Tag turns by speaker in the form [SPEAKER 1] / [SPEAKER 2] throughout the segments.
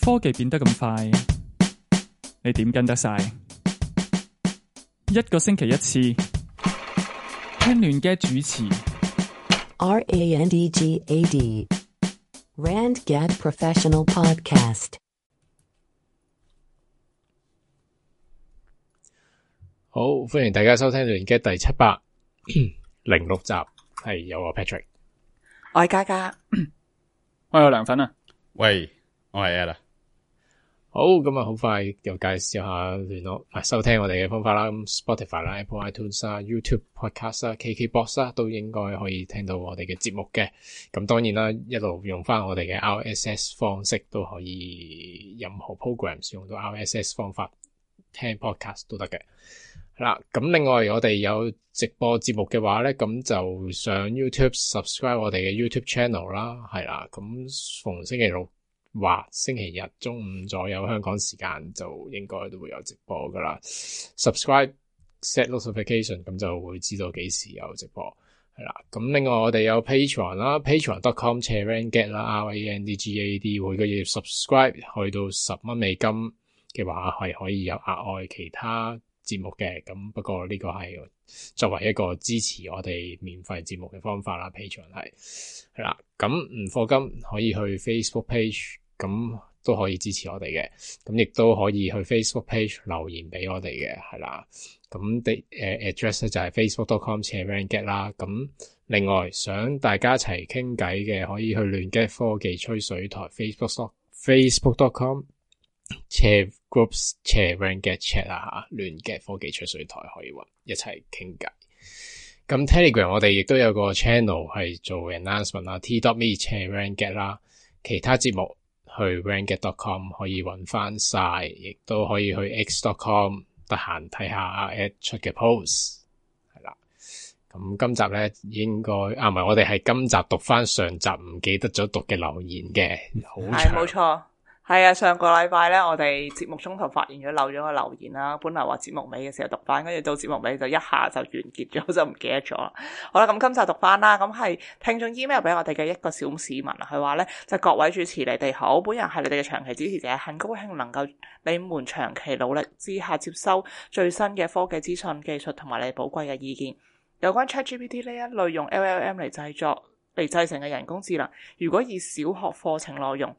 [SPEAKER 1] 科技變得咁快，你點跟得晒？一個星期一次，聽亂嘅主持。
[SPEAKER 2] RANDGAD RandGad Professional Podcast。
[SPEAKER 3] 好，歡迎大家收聽亂嘅第706集，係有我 Patrick，
[SPEAKER 4] 我係嘉嘉，
[SPEAKER 1] 我有涼粉啊！
[SPEAKER 5] 喂，我係 Ella。
[SPEAKER 3] 好，咁啊，好快又介紹下聯絡收聽我哋嘅方法啦。咁 Spotify 啦、Apple iTunes 啦、YouTube Podcast 啦、KKBox 啦，都應該可以聽到我哋嘅節目嘅。咁當然啦，一路用翻我哋嘅 RSS 方式都可以，任何 programs 用到 RSS 方法聽 podcast 都得嘅。係啦，咁另外我哋有直播節目嘅話咧，咁就上 YouTube subscribe 我哋嘅 YouTube channel 啦，係啦，咁逢星期六或星期日中午左右香港時間就應該都會有直播噶啦。subscribe set notification， 咁就會知道幾時有直播，係啦。咁另外我哋有 Patreon 啦 ，patreon.com/randgad 啦 ，RANDGAD， 每個月 subscribe 去到10蚊美金嘅話係可以有額外其他節目嘅。咁不過呢個係作為一個支持我哋免費節目嘅方法啦。Patreon 係啦，咁唔課金可以去 Facebook page， 咁都可以支持我哋嘅。咁亦都可以去 Facebook page 留言俾我哋嘅，係啦。咁address 咧就係 facebook.com/randgad 啦。咁另外想大家一齊傾偈嘅，可以去亂 get 科技吹水台 facebook.com/groups/randgad chat 啊，亂 get 科技吹水台可以搵一齊傾偈。咁 Telegram 我哋亦都有個 channel 係做 announcement 啦 t.me/randgad 啦，其他節目去 randgad.com 可以搵翻晒，亦都可以去 x.com 得閒睇下 at 出嘅 post 係啦。咁今集咧應該唔係，我哋係今集讀翻上集唔記得咗讀嘅留言嘅，好長。
[SPEAKER 4] 係冇錯，係啊，上個禮拜咧，我哋節目中途發現咗漏咗個留言啦，本來話節目尾嘅時候讀翻，跟住到節目尾就一下就完結咗，就唔記得咗啦。好啦，咁今集讀翻啦，咁係聽眾 email 俾我哋嘅一個小市民啊，佢話咧就各位主持你哋好，本人係你哋嘅長期支持者，很高興能夠你們長期努力之下接收最新嘅科技資訊、技術同埋你寶貴嘅意見。有關 ChatGPT 呢一類用 LLM 嚟製成嘅人工智能，如果以小學課程內容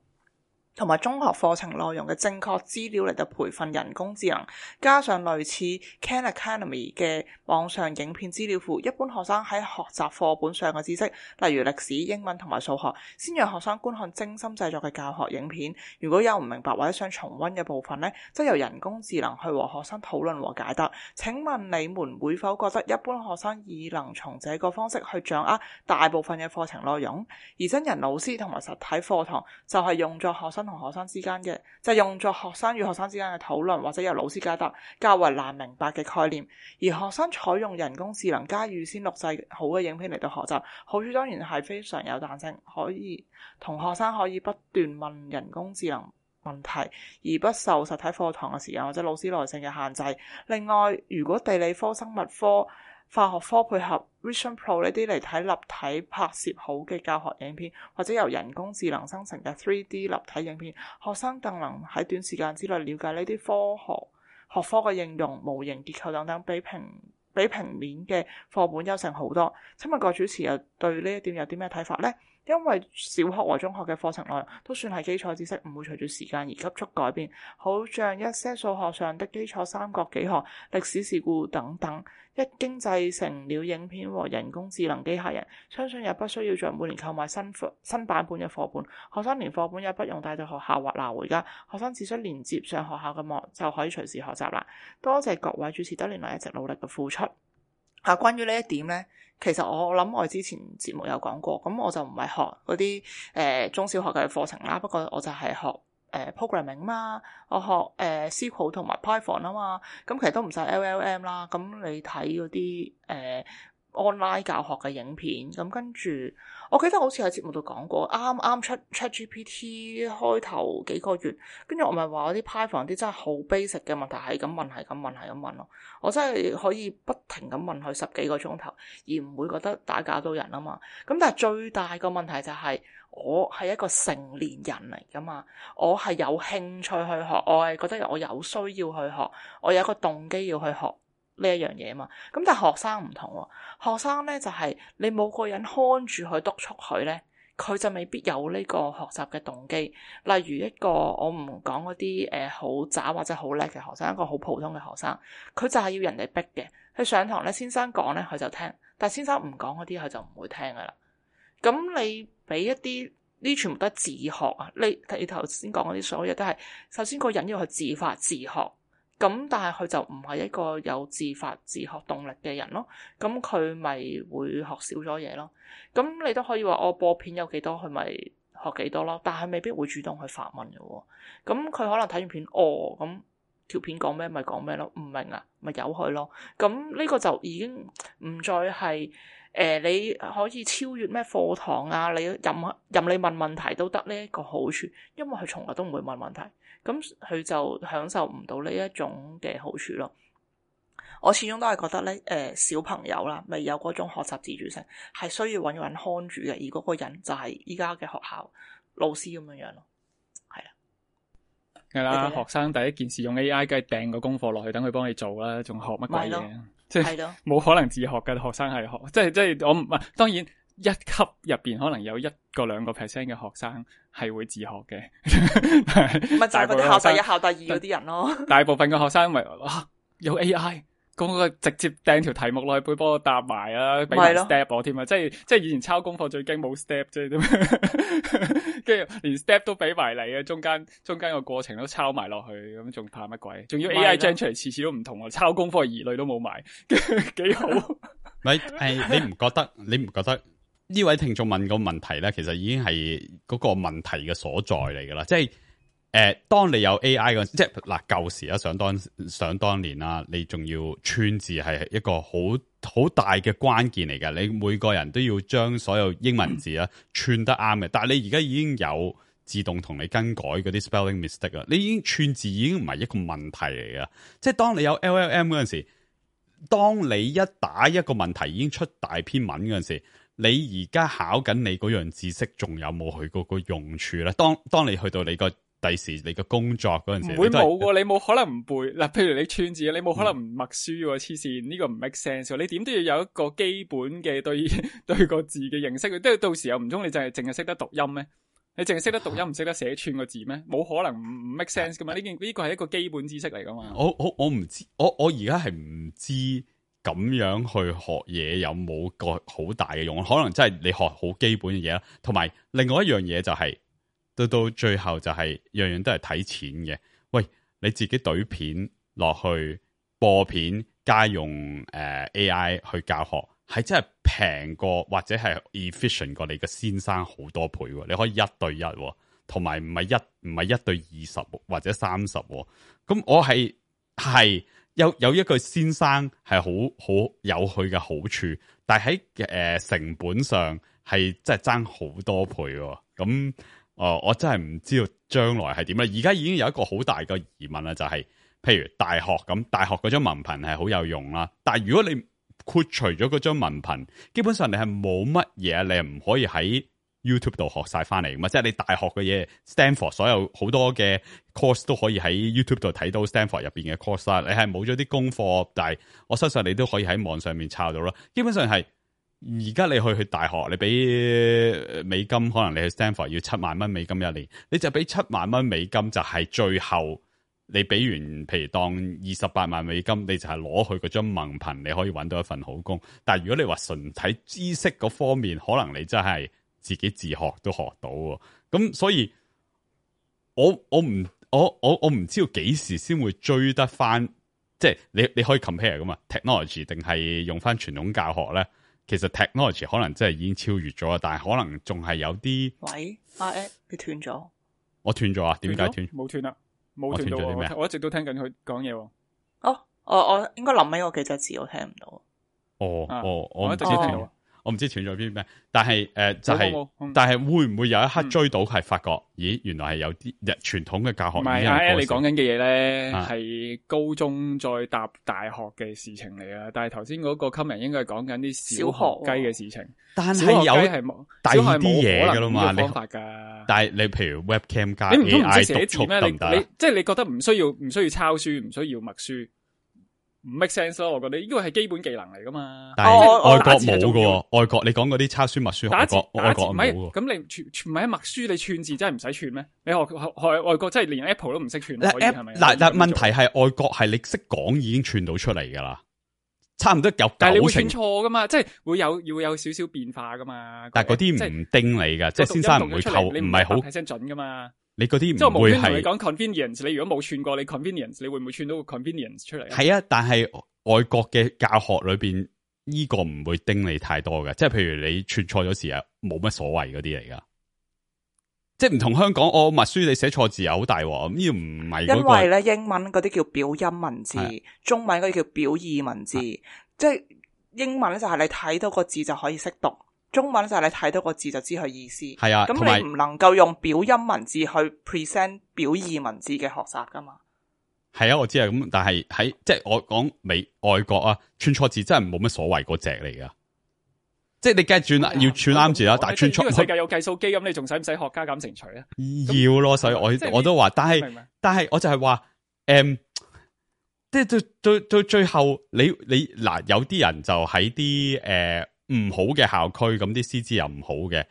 [SPEAKER 4] 同埋中學課程內容嘅正確資料嚟到培訓人工智能，加上類似 Khan Academy 嘅網上影片資料庫，一般學生喺學習課本上嘅知識，例如歷史、英文同埋數學，先讓學生觀看精心製作嘅教學影片。如果有唔明白或者想重溫嘅部分呢，則由人工智能去和學生討論和解答。請問你們會否覺得一般學生已能從這個方式去掌握大部分嘅課程內容？而真人老師同埋實體課堂就係用作學生同學生之間嘅，就係用作學生與學生之間嘅討論，或者由老師解答較為難明白嘅概念。而學生採用人工智能加預先錄製好嘅影片嚟到學習，好處當然係非常有彈性，可以同學生可以不斷問人工智能問題，而不受實體課堂嘅時間或者老師耐性嘅限制。另外，如果地理科、生物科、化學科配合 Vision Pro 呢啲嚟睇立體拍攝好嘅教學影片，或者由人工智能生成嘅 3D 立體影片，學生更能喺短時間之內了解呢啲學科嘅應用、模型結構等等，比平面嘅課本優勝好多。請問各位主持又對呢一點有啲咩睇法呢？因為小學和中學嘅課程內容都算係基礎知識，唔會隨住時間而急速改變，好像一些數學上的基礎三角幾何、歷史事故等等，一經製成了影片和人工智能機械人，相信也不需要再每年購買新版本嘅課本，學生連課本也不用帶到學校或拿回家，學生只需連接上學校嘅網就可以隨時學習啦。多謝各位主持多年來一直努力嘅付出。關於呢一點呢，其實我諗我之前節目有講過，咁我就唔係學嗰啲中小學嘅課程啦，不過我就係學programming 嘛，我學SQL 同埋 Python 啊嘛，咁其實都唔使 LLM 啦，咁你睇嗰啲 online 教學嘅影片，咁跟住我記得好似喺節目度講過，啱啱出 ChatGPT 開頭幾個月，跟住我咪話嗰啲 Python 啲真係好 basic 嘅問題，係咁問咯，我真係可以不停咁問佢10幾個鐘頭，而唔會覺得打攪到人啊嘛。咁但係最大個問題就係我係一個成年人嚟噶嘛，我係有興趣去學，我係覺得我有需要去學，我有一個動機要去學呢一樣嘢嘛。咁但係學生唔同喎，學生咧就係你冇個人看住去督促佢咧，佢就未必有呢個學習嘅動機。例如一個我唔講嗰啲好渣或者好叻嘅學生，一個好普通嘅學生，佢就係要人哋逼嘅。佢上堂咧，先生講咧佢就聽，但係先生唔講嗰啲佢就唔會聽噶啦。咁你俾一啲呢全部都係自學啊！你頭先講嗰啲所有嘢都係首先個人要去自發自學。咁但係佢就唔係一個有自發自學動力嘅人咯，咁佢咪會學少咗嘢咯。咁你都可以話我播片有幾多，佢咪學幾多咯。但係未必會主動去發問嘅喎。咁佢可能睇完片，咁條片講咩咪講咩咯，唔明啊咪由佢咯。咁呢個就已經唔再係你可以超越咩課堂啊，你任你問問題都得呢一個好處，因為佢從來都唔會問問題。咁佢就享受唔到呢一種嘅好處咯。我始終都係覺得咧，小朋友啦，未有嗰種學習自主性，係需要揾個人看住嘅，而嗰個人就係依家嘅學校老師咁樣樣咯。係啊，
[SPEAKER 1] 係啦，學生第一件事用 AI，梗係掟個功課落去，等佢幫你做啦，仲學乜鬼嘢？即係冇可能自學嘅學生係學，即係我唔係當然。一級入邊可能有1-2% 嘅學生係會自學嘅，
[SPEAKER 4] 咪就係嗰啲考第一、考第二嗰啲人咯。
[SPEAKER 1] 大部分嘅學生咪有 AI，嗰個直接掟條題目落去，幫我答埋啊，俾埋 step 我添啊！即係以前抄功課最驚冇 step 啫，跟住連 step 都俾埋你啊！中間個過程都抄埋落去，咁仲怕乜鬼？仲要 AI gen 出嚟，次次都唔同啊！抄功課疑慮都冇埋，幾好。
[SPEAKER 5] 咪你唔覺得？呢位聽眾問個問題咧，其實已經係嗰個問題嘅所在嚟噶啦，即係當你有 AI 嗰，即係嗱舊時啊，想當年啦，你仲要串字係一個好大嘅關鍵嚟嘅，你每個人都要將所有英文字啊串得啱嘅，但係你而家已經有自動同你更改嗰啲 spelling mistake 啦，你已經串字已經唔係一個問題嚟噶，即係當你有 LLM 嗰陣時，當你一打一個問題已經出大篇文嗰陣時。你而家考緊你嗰樣知識，仲有冇去嗰個用處咧？當你去到你個第時你個工作嗰陣時，
[SPEAKER 1] 唔會冇喎，你冇可能唔背嗱。譬如你串字，你冇可能唔默書喎，黐線呢個唔 make sense 喎。你點都要有一個基本嘅對個字嘅認識，即係到時候唔通你淨係識得讀音咩？你淨係識得讀音，唔識得寫串個字咩？冇可能唔 make sense 噶嘛？呢個係一個基本知識嚟噶嘛？
[SPEAKER 5] 我唔知，我而家係唔知。咁樣去學嘢有冇個好大嘅用？可能真係你學好基本嘅嘢啦，同埋另外一樣嘢就係到最後就係樣樣都係睇錢嘅。喂，你自己懟片落去播片，加用AI 去教學，係真係平過或者係 efficient 過你嘅先生好多倍。你可以1對1，同埋唔係1對20或者30。咁我係。有一個先生係好有佢嘅好處，但係喺成本上係真係爭好多倍喎。咁我真係唔知道將來係點咧。而家已經有一個好大嘅疑問啦，就係譬如大學咁，大學嗰張文憑係好有用啦，但係如果你豁除咗嗰張文憑，基本上你係冇乜嘢，你係唔可以喺YouTube 度學晒翻嚟嘛？即係你大學嘅嘢 Stanford 所有好多嘅 course 都可以喺 YouTube 度睇到 Stanford 入邊嘅 course 啦。你係冇咗啲功課，但係我相信你都可以喺網上面抄到啦。基本上係而家你去大學，你俾美金，可能你去 Stanford 要7萬蚊美金一年，你就俾7萬蚊美金，就係最後你俾完，譬如當28萬美金，你就係攞去嗰張文憑，你可以揾到一份好工。但係如果你話純睇知識嗰方面，可能你真係自己自學都學到喎，咁所以我唔知道幾時先會追得翻，即係你可以 compare 噶嘛 technology 定係用翻傳統教學咧？其實 technology 可能真係已經超越咗，但係可能仲係有啲。喂，
[SPEAKER 4] 阿 Ed 你斷咗？
[SPEAKER 5] 我斷咗啊？點解斷？
[SPEAKER 1] 冇斷啦，冇斷到喎。我一直都聽緊佢講嘢喎。
[SPEAKER 4] 我應該臨尾嗰幾隻字我聽唔到。
[SPEAKER 5] 我唔知
[SPEAKER 1] 斷
[SPEAKER 5] 斷，我唔知斷咗邊咩，但係就係
[SPEAKER 1] 冇，
[SPEAKER 5] 但係會唔會有一刻追到係發覺，咦，原來係有啲傳統嘅教學
[SPEAKER 1] 唔係，你講緊嘅嘢咧
[SPEAKER 5] 啊
[SPEAKER 1] 係高中再搭大學嘅事情嚟啊！但係頭先嗰個 comment 應該係講緊啲小學雞嘅事情，
[SPEAKER 5] 但係有第二啲嘢噶啦嘛，
[SPEAKER 1] 方法噶。
[SPEAKER 5] 但係你譬如 webcam 加
[SPEAKER 1] 你唔通唔識
[SPEAKER 5] AI
[SPEAKER 1] 寫字咩？
[SPEAKER 5] 督促得唔得？
[SPEAKER 1] 即係你覺得唔需要抄書，唔需要默書。唔 make sense 咯，我覺得呢個係基本技能嚟噶嘛。
[SPEAKER 5] 但係外國冇噶，外國你講嗰啲抄書默書，外國冇喎。
[SPEAKER 1] 咁你唔係默書，你串字真係唔使串咩？你學外國真係連 Apple 都唔識串，可以係咪？
[SPEAKER 5] 嗱，但問題係外國係你識講已經串到出嚟噶啦，差唔多有90%。
[SPEAKER 1] 但係你會串錯噶嘛？即係要有少少變化噶嘛。
[SPEAKER 5] 但係嗰啲唔叮你噶，即係先生唔會扣，唔係好
[SPEAKER 1] 100%準噶嘛。
[SPEAKER 5] 你嗰啲
[SPEAKER 1] 即係我無端同你
[SPEAKER 5] 係
[SPEAKER 1] 講 convenience，你如果冇串過你 convenience，你會唔會串到個 convenience 出嚟？
[SPEAKER 5] 係啊，但係外國嘅教學裏邊呢個唔會叮你太多嘅，即係譬如你串錯咗字啊，冇乜所謂嗰啲嚟噶。即係唔同香港，我默書你寫錯字啊，好大鑊。呢個唔係
[SPEAKER 4] 因為咧英文嗰啲叫表音文字，中文嗰啲叫表意文字。即係英文咧就係你睇到個字就可以識讀。中文就係你睇到個字就知佢意思，係啊，咁你唔能夠用表音文字去 present 表意文字嘅學習噶嘛？
[SPEAKER 5] 係啊，我知啊，咁但係喺即係我講外國啊，串錯字真係冇乜所謂嗰隻嚟噶，即係你梗係轉要串啱字啦，但係串錯。
[SPEAKER 1] 呢個世界有計數機咁，你仲使唔使學加減乘除啊？
[SPEAKER 5] 要咯，所以我都話，但係我就係話，即係到最後，你嗱有啲人就喺啲唔好嘅校區，咁啲師資又唔好嘅，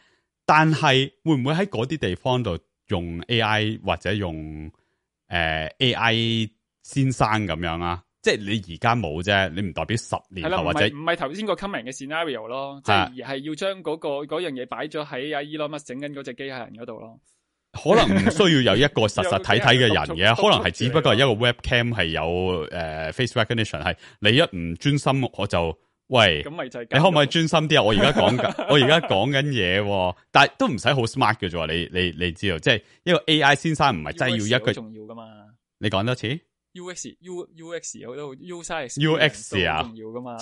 [SPEAKER 5] 但係會唔會喺嗰啲地方度用 AI 或者用AI 先生咁樣啊？即係你而家冇啫，你唔代表10年後或者
[SPEAKER 1] 唔係頭先個 comment 嘅 scenario 咯，即係而係要將嗰樣嘢擺咗喺阿 Elon Musk 整緊嗰隻機械人嗰度咯。
[SPEAKER 5] 可能唔需要有一個實體嘅人嘅，可能係只不過係一個 webcam 係有face recognition， 係你一唔專心我就。喂，咁咪就係你可唔可以專心啲啊？我而家講緊嘢，但係都唔使好 smart 嘅啫。你知道，即係一個 AI 先生唔係真係要一個
[SPEAKER 1] 重要噶嘛？
[SPEAKER 5] 你講多次
[SPEAKER 1] UX 好多
[SPEAKER 5] UX 啊，
[SPEAKER 1] 重要噶嘛？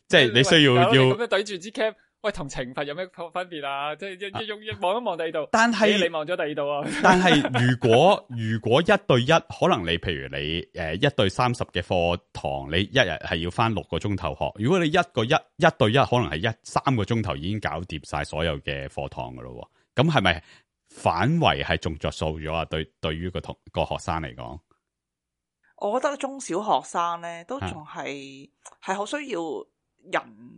[SPEAKER 5] 即係你需要
[SPEAKER 1] 咁樣對住支 cam。喂，同懲罰有咩分別啊？即係一望一望第二度，
[SPEAKER 5] 但係
[SPEAKER 1] 你望咗第二度啊？
[SPEAKER 5] 但係如果1對1，可能你譬如你1對30嘅課堂，你一日係要返6個鐘頭學。如果你一對一，可能係3個鐘頭已經搞掂晒所有嘅課堂噶咯。咁係咪反為係仲着數咗啊？對於個學生嚟講，
[SPEAKER 4] 我覺得中小學生咧都仲係好需要。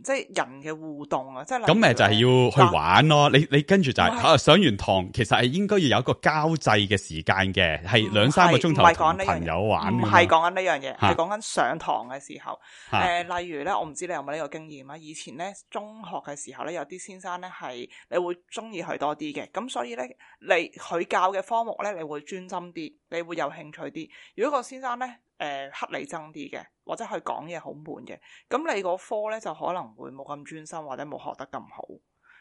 [SPEAKER 4] 即係人嘅互動啊！即係咁
[SPEAKER 5] 咪就係要去玩咯。你跟住就係上完堂，其實係應該要有一個交際嘅時間嘅，係2-3個鐘頭同朋友玩。
[SPEAKER 4] 唔係講緊呢樣嘢，係講緊上堂嘅時候。例如咧，我唔知你有冇呢個經驗啊？以前咧中學嘅時候咧，有啲先生咧係你會中意佢多啲嘅，咁所以咧佢教嘅科目咧，你會專心啲，你會有興趣啲。如果個先生咧乞你憎啲嘅，或者佢講嘢好悶嘅，咁你個科咧就可能會冇咁專心，或者冇學得咁好。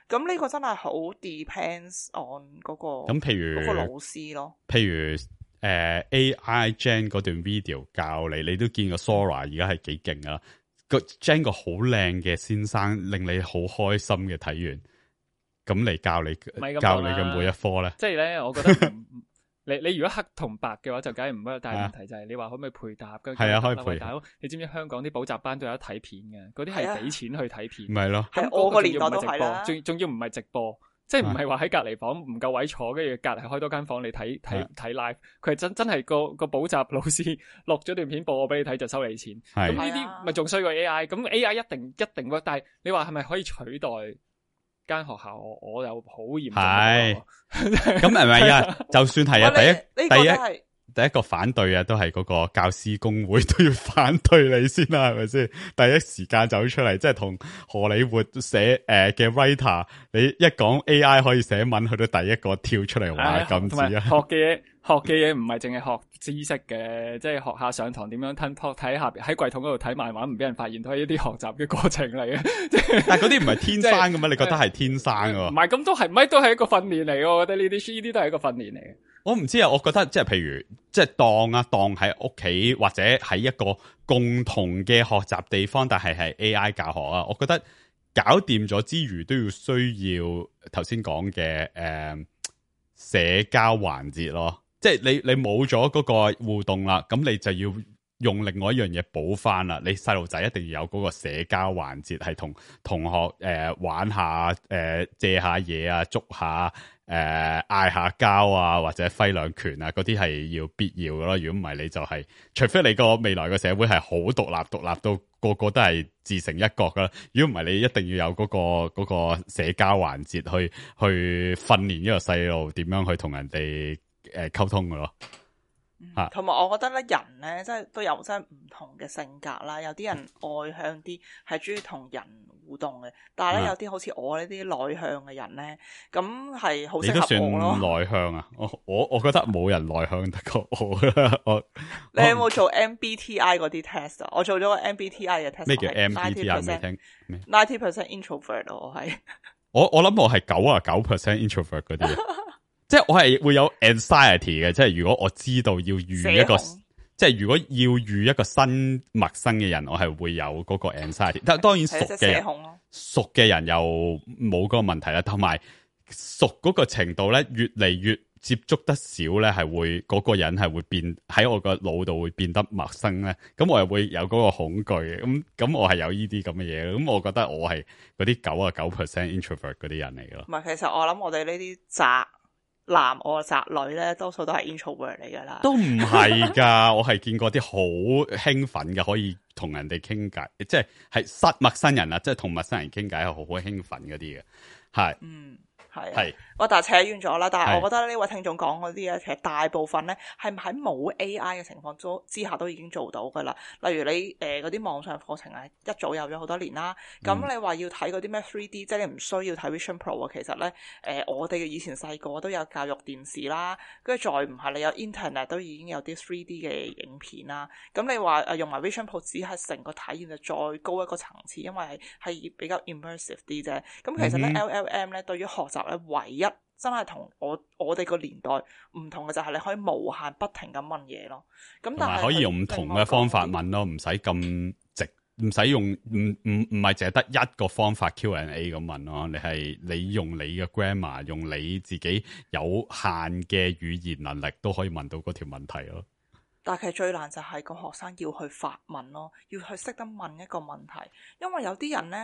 [SPEAKER 4] 咁呢個真係好 depends on 嗰個咁，譬如嗰個老師咯。
[SPEAKER 5] 譬如AI Gen 嗰段 video 教你都見過 Sora 而家係幾勁啊！個 Gen 個好靚嘅先生，令你好開心嘅睇完，咁嚟教你嘅每一科咧。
[SPEAKER 1] 即係咧，我覺得你如果黑同白嘅話就梗係唔得，但係問題就係你話可唔可以配搭？
[SPEAKER 5] 係啊，可以配搭。
[SPEAKER 1] 你知唔知香港啲補習班都有得睇片嘅？嗰啲係俾錢去睇片。
[SPEAKER 5] 唔係咯，
[SPEAKER 4] 係我個年代都係啦。
[SPEAKER 1] 仲要唔係直播，即係唔係話喺隔離房唔夠位坐，跟住隔離開多間房你睇 live。佢係真係個補習老師錄咗段片播俾你睇就收你錢。咁呢啲咪仲衰過 AI？咁 AI 一定喎，但係你話係咪可以取代？間學校我又好嚴重，係
[SPEAKER 5] 咁係咪啊？就算係啊，第一個反對啊，都係嗰個教師工會都要反對你先啦，係咪先？第一時間走出嚟，即係同荷里活寫嘅 writer， 你一講 AI 可以寫文，佢都第一個跳出嚟話禁止啊！
[SPEAKER 1] 學嘅嘢唔係淨係學知識嘅，即係學下上堂點樣吞泡，睇下喺櫃桶嗰度睇漫畫唔俾人發現，都係一啲學習嘅過程嚟嘅。
[SPEAKER 5] 但係嗰啲唔係天生噶嘛？你覺得係天生噶？
[SPEAKER 1] 唔係咁都係，唔係都係一個訓練嚟嘅。我覺得呢啲都係一個訓練嚟嘅。
[SPEAKER 5] 我唔知啊，我覺得即係譬如即係當喺屋企或者喺一個共同嘅學習地方，但係 AI 教學啊，我覺得搞掂咗之餘都要需要頭先講嘅社交環節咯，即係你冇咗嗰個互動啦，咁你就要用另外一樣嘢補翻啦。你細路仔一定要有嗰個社交環節，係同同學玩下借下嘢啊，捉下嗌下交啊，或者揮兩拳啊，嗰啲係要必要嘅咯。如果唔係，你就係除非你個未來嘅社會係好獨立到個個都係自成一國噶啦。如果唔係，你一定要有嗰個社交環節去訓練呢個細路點樣去同人哋溝通嘅咯。
[SPEAKER 4] 同埋我覺得咧，人咧即係都有真係唔同嘅性格啦。有啲人外向啲，係中意同人互動嘅，但係咧有啲好似我呢啲內向嘅人咧，咁係好適合我咯。
[SPEAKER 5] 你都算內向啊？我覺得冇人內向得過我啦。
[SPEAKER 4] 你有冇做 MBTI 嗰啲 test 啊？我做咗個 MBTI 嘅 test。咩
[SPEAKER 5] 叫 MBTI？ 未聽。
[SPEAKER 4] 90% introvert 我係。
[SPEAKER 5] 我諗我係99% introvert 嗰啲。即係我係會有 anxiety 嘅，即係如果我知道要遇一個，即係如果要遇一個新陌生嘅人，我係會有嗰個 anxiety。但係當然熟嘅人又冇嗰個問題啦，同埋熟嗰個程度咧，越嚟越接觸得少咧，係會嗰個人係會變喺我個腦度會變得陌生咧。咁我又會有嗰個恐懼嘅。咁我係有呢啲咁嘅嘢。咁我覺得我係嗰啲99% introvert 嗰啲人嚟咯。
[SPEAKER 4] 唔係，其實我諗我哋呢啲宅男我宅女咧，多數都係 introvert 嚟噶啦。
[SPEAKER 5] 都唔係噶，我係見過啲好興奮嘅，可以同人哋傾偈，即係陌生人啊，即係同陌生人傾偈係好興奮嗰啲嘅，係。
[SPEAKER 4] 係，但係扯遠咗啦。但係我覺得呢位聽眾講嗰啲咧，其實大部分咧係喺冇 AI 嘅情況之下都已經做到噶啦。例如你嗰啲網上課程啊，一早有咗好多年啦。咁你話要睇嗰啲咩 3D，即係你唔需要睇 Vision Pro 啊。其實咧，我哋嘅以前細個都有教育電視啦，跟住再唔係你有 Internet 都已經有啲 3D 嘅影片啦。咁你話用埋 Vision Pro 只係成個體驗就再高一個層次，因為係比較 immersive 啲啫。咁其實咧 LLM 咧對於學習咧唯一真係同我哋個年代唔同嘅就係你可以無限不停咁問嘢咯。咁但係
[SPEAKER 5] 可以用唔同嘅方法問咯，唔使咁直，唔使用唔係淨係得一個方法 Q&A 咁問咯。你用你嘅 grammar， 用你自己有限嘅語言能力都可以問到嗰條問題咯。
[SPEAKER 4] 但係其實最難就係個學生要去發問咯，要去識得問一個問題。因為有啲人咧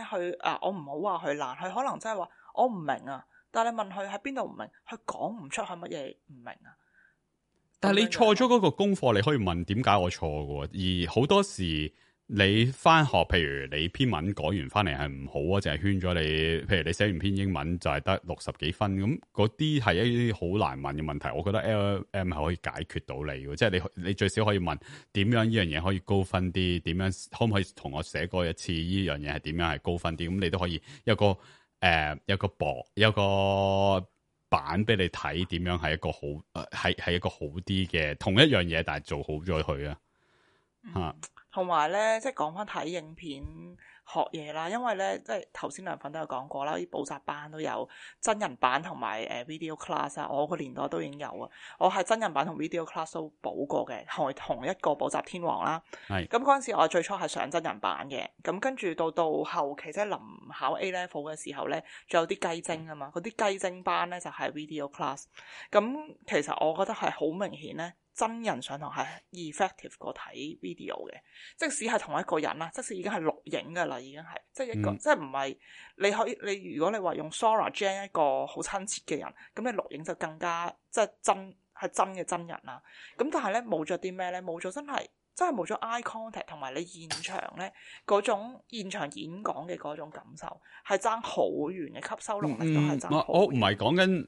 [SPEAKER 4] 我唔好話佢難，佢可能真係話我唔明啊。但係你問佢喺邊度唔明，佢講唔出係乜嘢唔明啊。
[SPEAKER 5] 但係你錯咗嗰個功課，你可以問點解我錯嘅。而好多時你翻學，譬如你篇文改完翻嚟係唔好啊，淨係圈咗你。譬如你寫完篇英文就係得60幾分，咁嗰啲係一啲好難問嘅問題。我覺得 LLM 係可以解決到你嘅，即係你最少可以問點樣呢樣嘢可以高分啲，點樣可唔可以同我寫過一次呢樣嘢係點樣係高分啲？咁你都可以有個版俾你睇，點樣係一個好係一個好啲嘅同一樣嘢，但係做好咗佢啊。
[SPEAKER 4] 同埋咧，即係講翻睇影片學嘢啦，因為咧，即係頭先梁粉都有講過啦，啲補習班都有真人版同埋video class 啊。我個年代都已經有啊，我係真人版同 video class 都補過嘅，係同一個補習天王啦。係咁嗰陣時，我最初係上真人版嘅，咁跟住到後期即係臨考 A level 嘅時候咧，仲有啲雞精啊嘛，嗰啲雞精班咧就係 video class。咁其實我覺得係好明顯咧。真人上堂係 effective 過睇 video 嘅，即使係同一個人啦，即使已經係錄影㗎啦，已經係即係一個，即係唔係你可以你如果你話用 Sora Gen 一個好親切嘅人，咁你錄影就更加即係真嘅真人啦。咁但係咧冇咗啲咩咧？冇咗真係冇咗 eye contact 同埋你現場咧嗰種現場演講嘅嗰種感受係爭好遠嘅，吸收能力都係爭好遠。
[SPEAKER 5] 我唔係講緊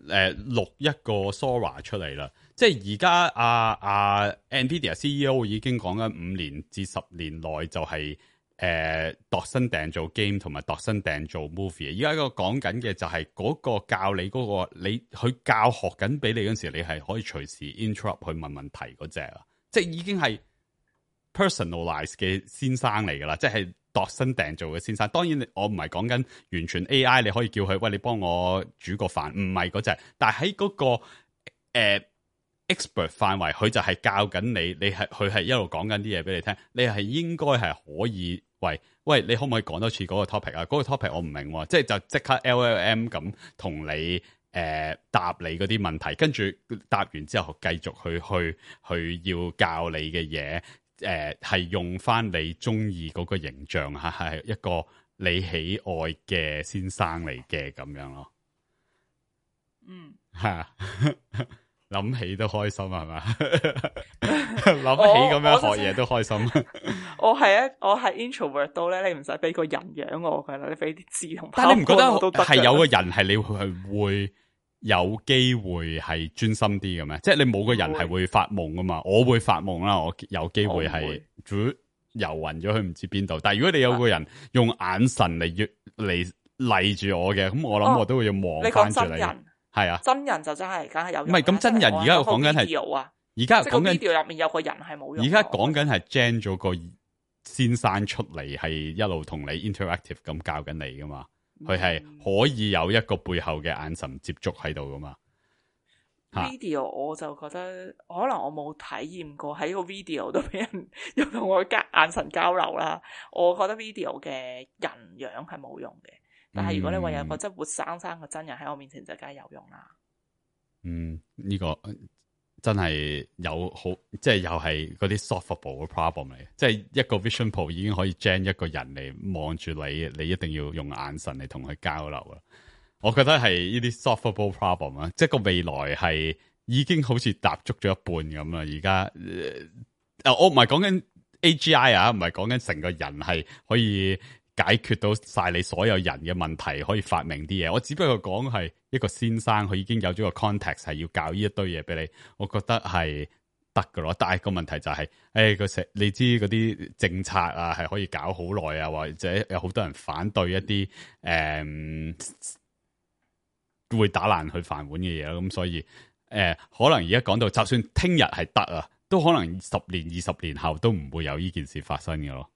[SPEAKER 5] 錄一個 Sora 出嚟啦。即係而家Nvidia CEO 已經講緊5年至10年內就係度身訂做 game 同埋度身訂做 movie。而家個講緊嘅就係嗰個教你嗰個你去教學緊俾你嗰陣時，你係可以隨時 interrupt 去問問題嗰隻啊！即係已經係 personalize 嘅先生嚟㗎啦，即係度身訂做嘅先生。當然我唔係講緊完全 AI， 你可以叫佢喂，你幫我煮個飯，唔係嗰隻。但係喺嗰個 expert 範圍，佢就係教緊你佢係一路講緊啲嘢俾你聽，你係應該係可以喂，你可唔可以講多次嗰個 topic 啊？嗰個 topic 我唔明喎，即係就即刻 LLM 咁同你答你嗰啲問題，跟住答完之後繼續去要教你嘅嘢，係用翻你中意嗰個形象吓，係一個你喜愛嘅先生嚟嘅咁樣咯。吓諗起都開心係嘛？諗起咁樣學嘢都開心。
[SPEAKER 4] 我係 introvert 到咧，你唔使俾個人樣我噶啦，你俾啲字同。
[SPEAKER 5] 但係你唔覺得係有個人係你係會有機會係專心啲嘅咩？即係你冇個人係會發夢噶嘛？我會發夢啦，我有機會係游暈咗去唔知邊度。但係如果你有個人用眼神嚟嚟住我嘅，咁我諗我都會要望翻住你。係啊，
[SPEAKER 4] 真人就真係梗係有用。
[SPEAKER 5] 唔係咁真人，而家我講緊係，而家講緊
[SPEAKER 4] video 入面有個人係冇用。
[SPEAKER 5] 而家講緊係 gen 咗個先生出嚟，係一路同你 interactive 咁教緊你噶嘛？佢係可以有一個背後嘅眼神接觸喺度噶嘛
[SPEAKER 4] ？video 我就覺得可能我冇體驗過喺個 video 度俾人又同我眼神交流啦。我覺得 video 嘅人樣係冇用嘅。但係如果你話有個真活生生嘅真人喺我面前，就梗係有用啦。
[SPEAKER 5] 呢個真係有好，即係又係嗰啲 solvable 嘅 problem 嚟。即係一個 Vision Pro 已經可以 gen 一個人嚟望住你，你一定要用眼神嚟同佢交流啦。我覺得係呢啲 solvable problem 啊，即係個未來係已經好似踏足咗一半咁啦。而家我唔係講緊 AGI 啊，唔係講緊成個人係可以解決到晒你所有人嘅問題，可以發明啲嘢。我只不過講係一個先生，佢已經有咗個 context 係要教呢一堆嘢俾你。我覺得係得噶咯。但係個問題就係，你知嗰啲政策啊，係可以搞好耐啊，或者有好多人反對一啲會打爛佢飯碗嘅嘢咯。咁所以可能而家講到，就算聽日係得啊，都可能10年、20年後都唔會有呢件事發生嘅咯。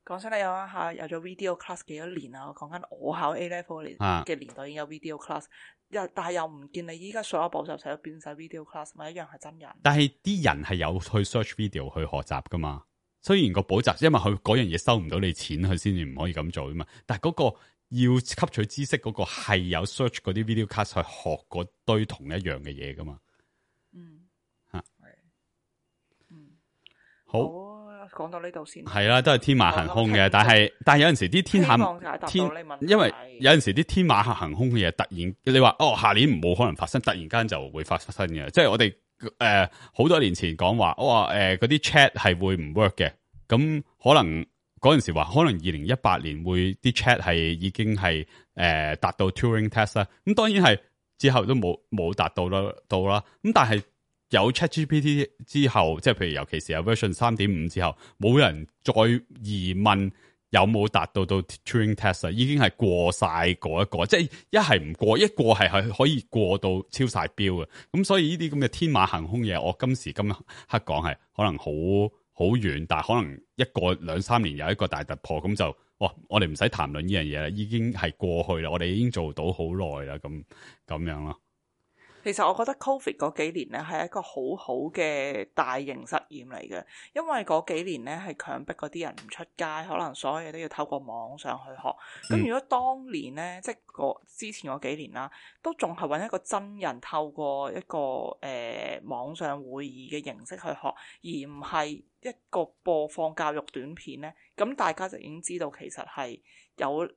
[SPEAKER 4] 講真，你有一下有咗 video class 幾多年啊？我講緊我考 A level 嘅年代已經有 video class，但係又唔見你依家所有補習社都變晒 video class，咪一樣係真人。但係
[SPEAKER 5] 啲人係有去 search video 去學習噶嘛？雖然個補習，因為佢嗰樣嘢收唔到你錢，佢先至唔可以咁做噶嘛。但係嗰個要吸取知識嗰個係有 search 嗰啲 video class 去學嗰堆同一樣嘅嘢噶嘛？好。
[SPEAKER 4] 講到呢度先，
[SPEAKER 5] 係啦，都係天馬行空嘅，但係有陣時啲因為有陣時啲天馬行空嘅嘢，突然你話下年冇可能發生，突然間就會發生嘅。即係我哋好多年前講話，嗰啲 chat 係會唔 work 嘅，咁可能嗰陣時話，可能2018年會啲 chat 係已經係達到 Turing test 啦。咁當然係之後都冇達到啦，咁但係。有 ChatGPT 之後，即係譬如尤其是有 version 3.5之後，冇人再疑問有冇達到 Turing test 已經係過晒嗰一個，即係一係唔過，一過係可以過到超晒標嘅。咁所以呢啲咁嘅天馬行空嘢，我今時今刻講係可能好遠，但係可能一個2-3年有一個大突破，咁就我哋唔使談論呢樣嘢啦，已經係過去啦，我哋已經做到好耐啦，咁樣咯。
[SPEAKER 4] 其實我覺得 Covid 嗰幾年咧係一個好好嘅大型實驗嚟嘅，因為嗰幾年咧係強迫嗰啲人唔出街，可能所有嘢都要透過網上去學。咁如果當年咧，即係之前嗰幾年啦，都仲係揾一個真人透過一個網上會議嘅形式去學，而唔係一個播放教育短片咧，咁大家就已經知道其實係有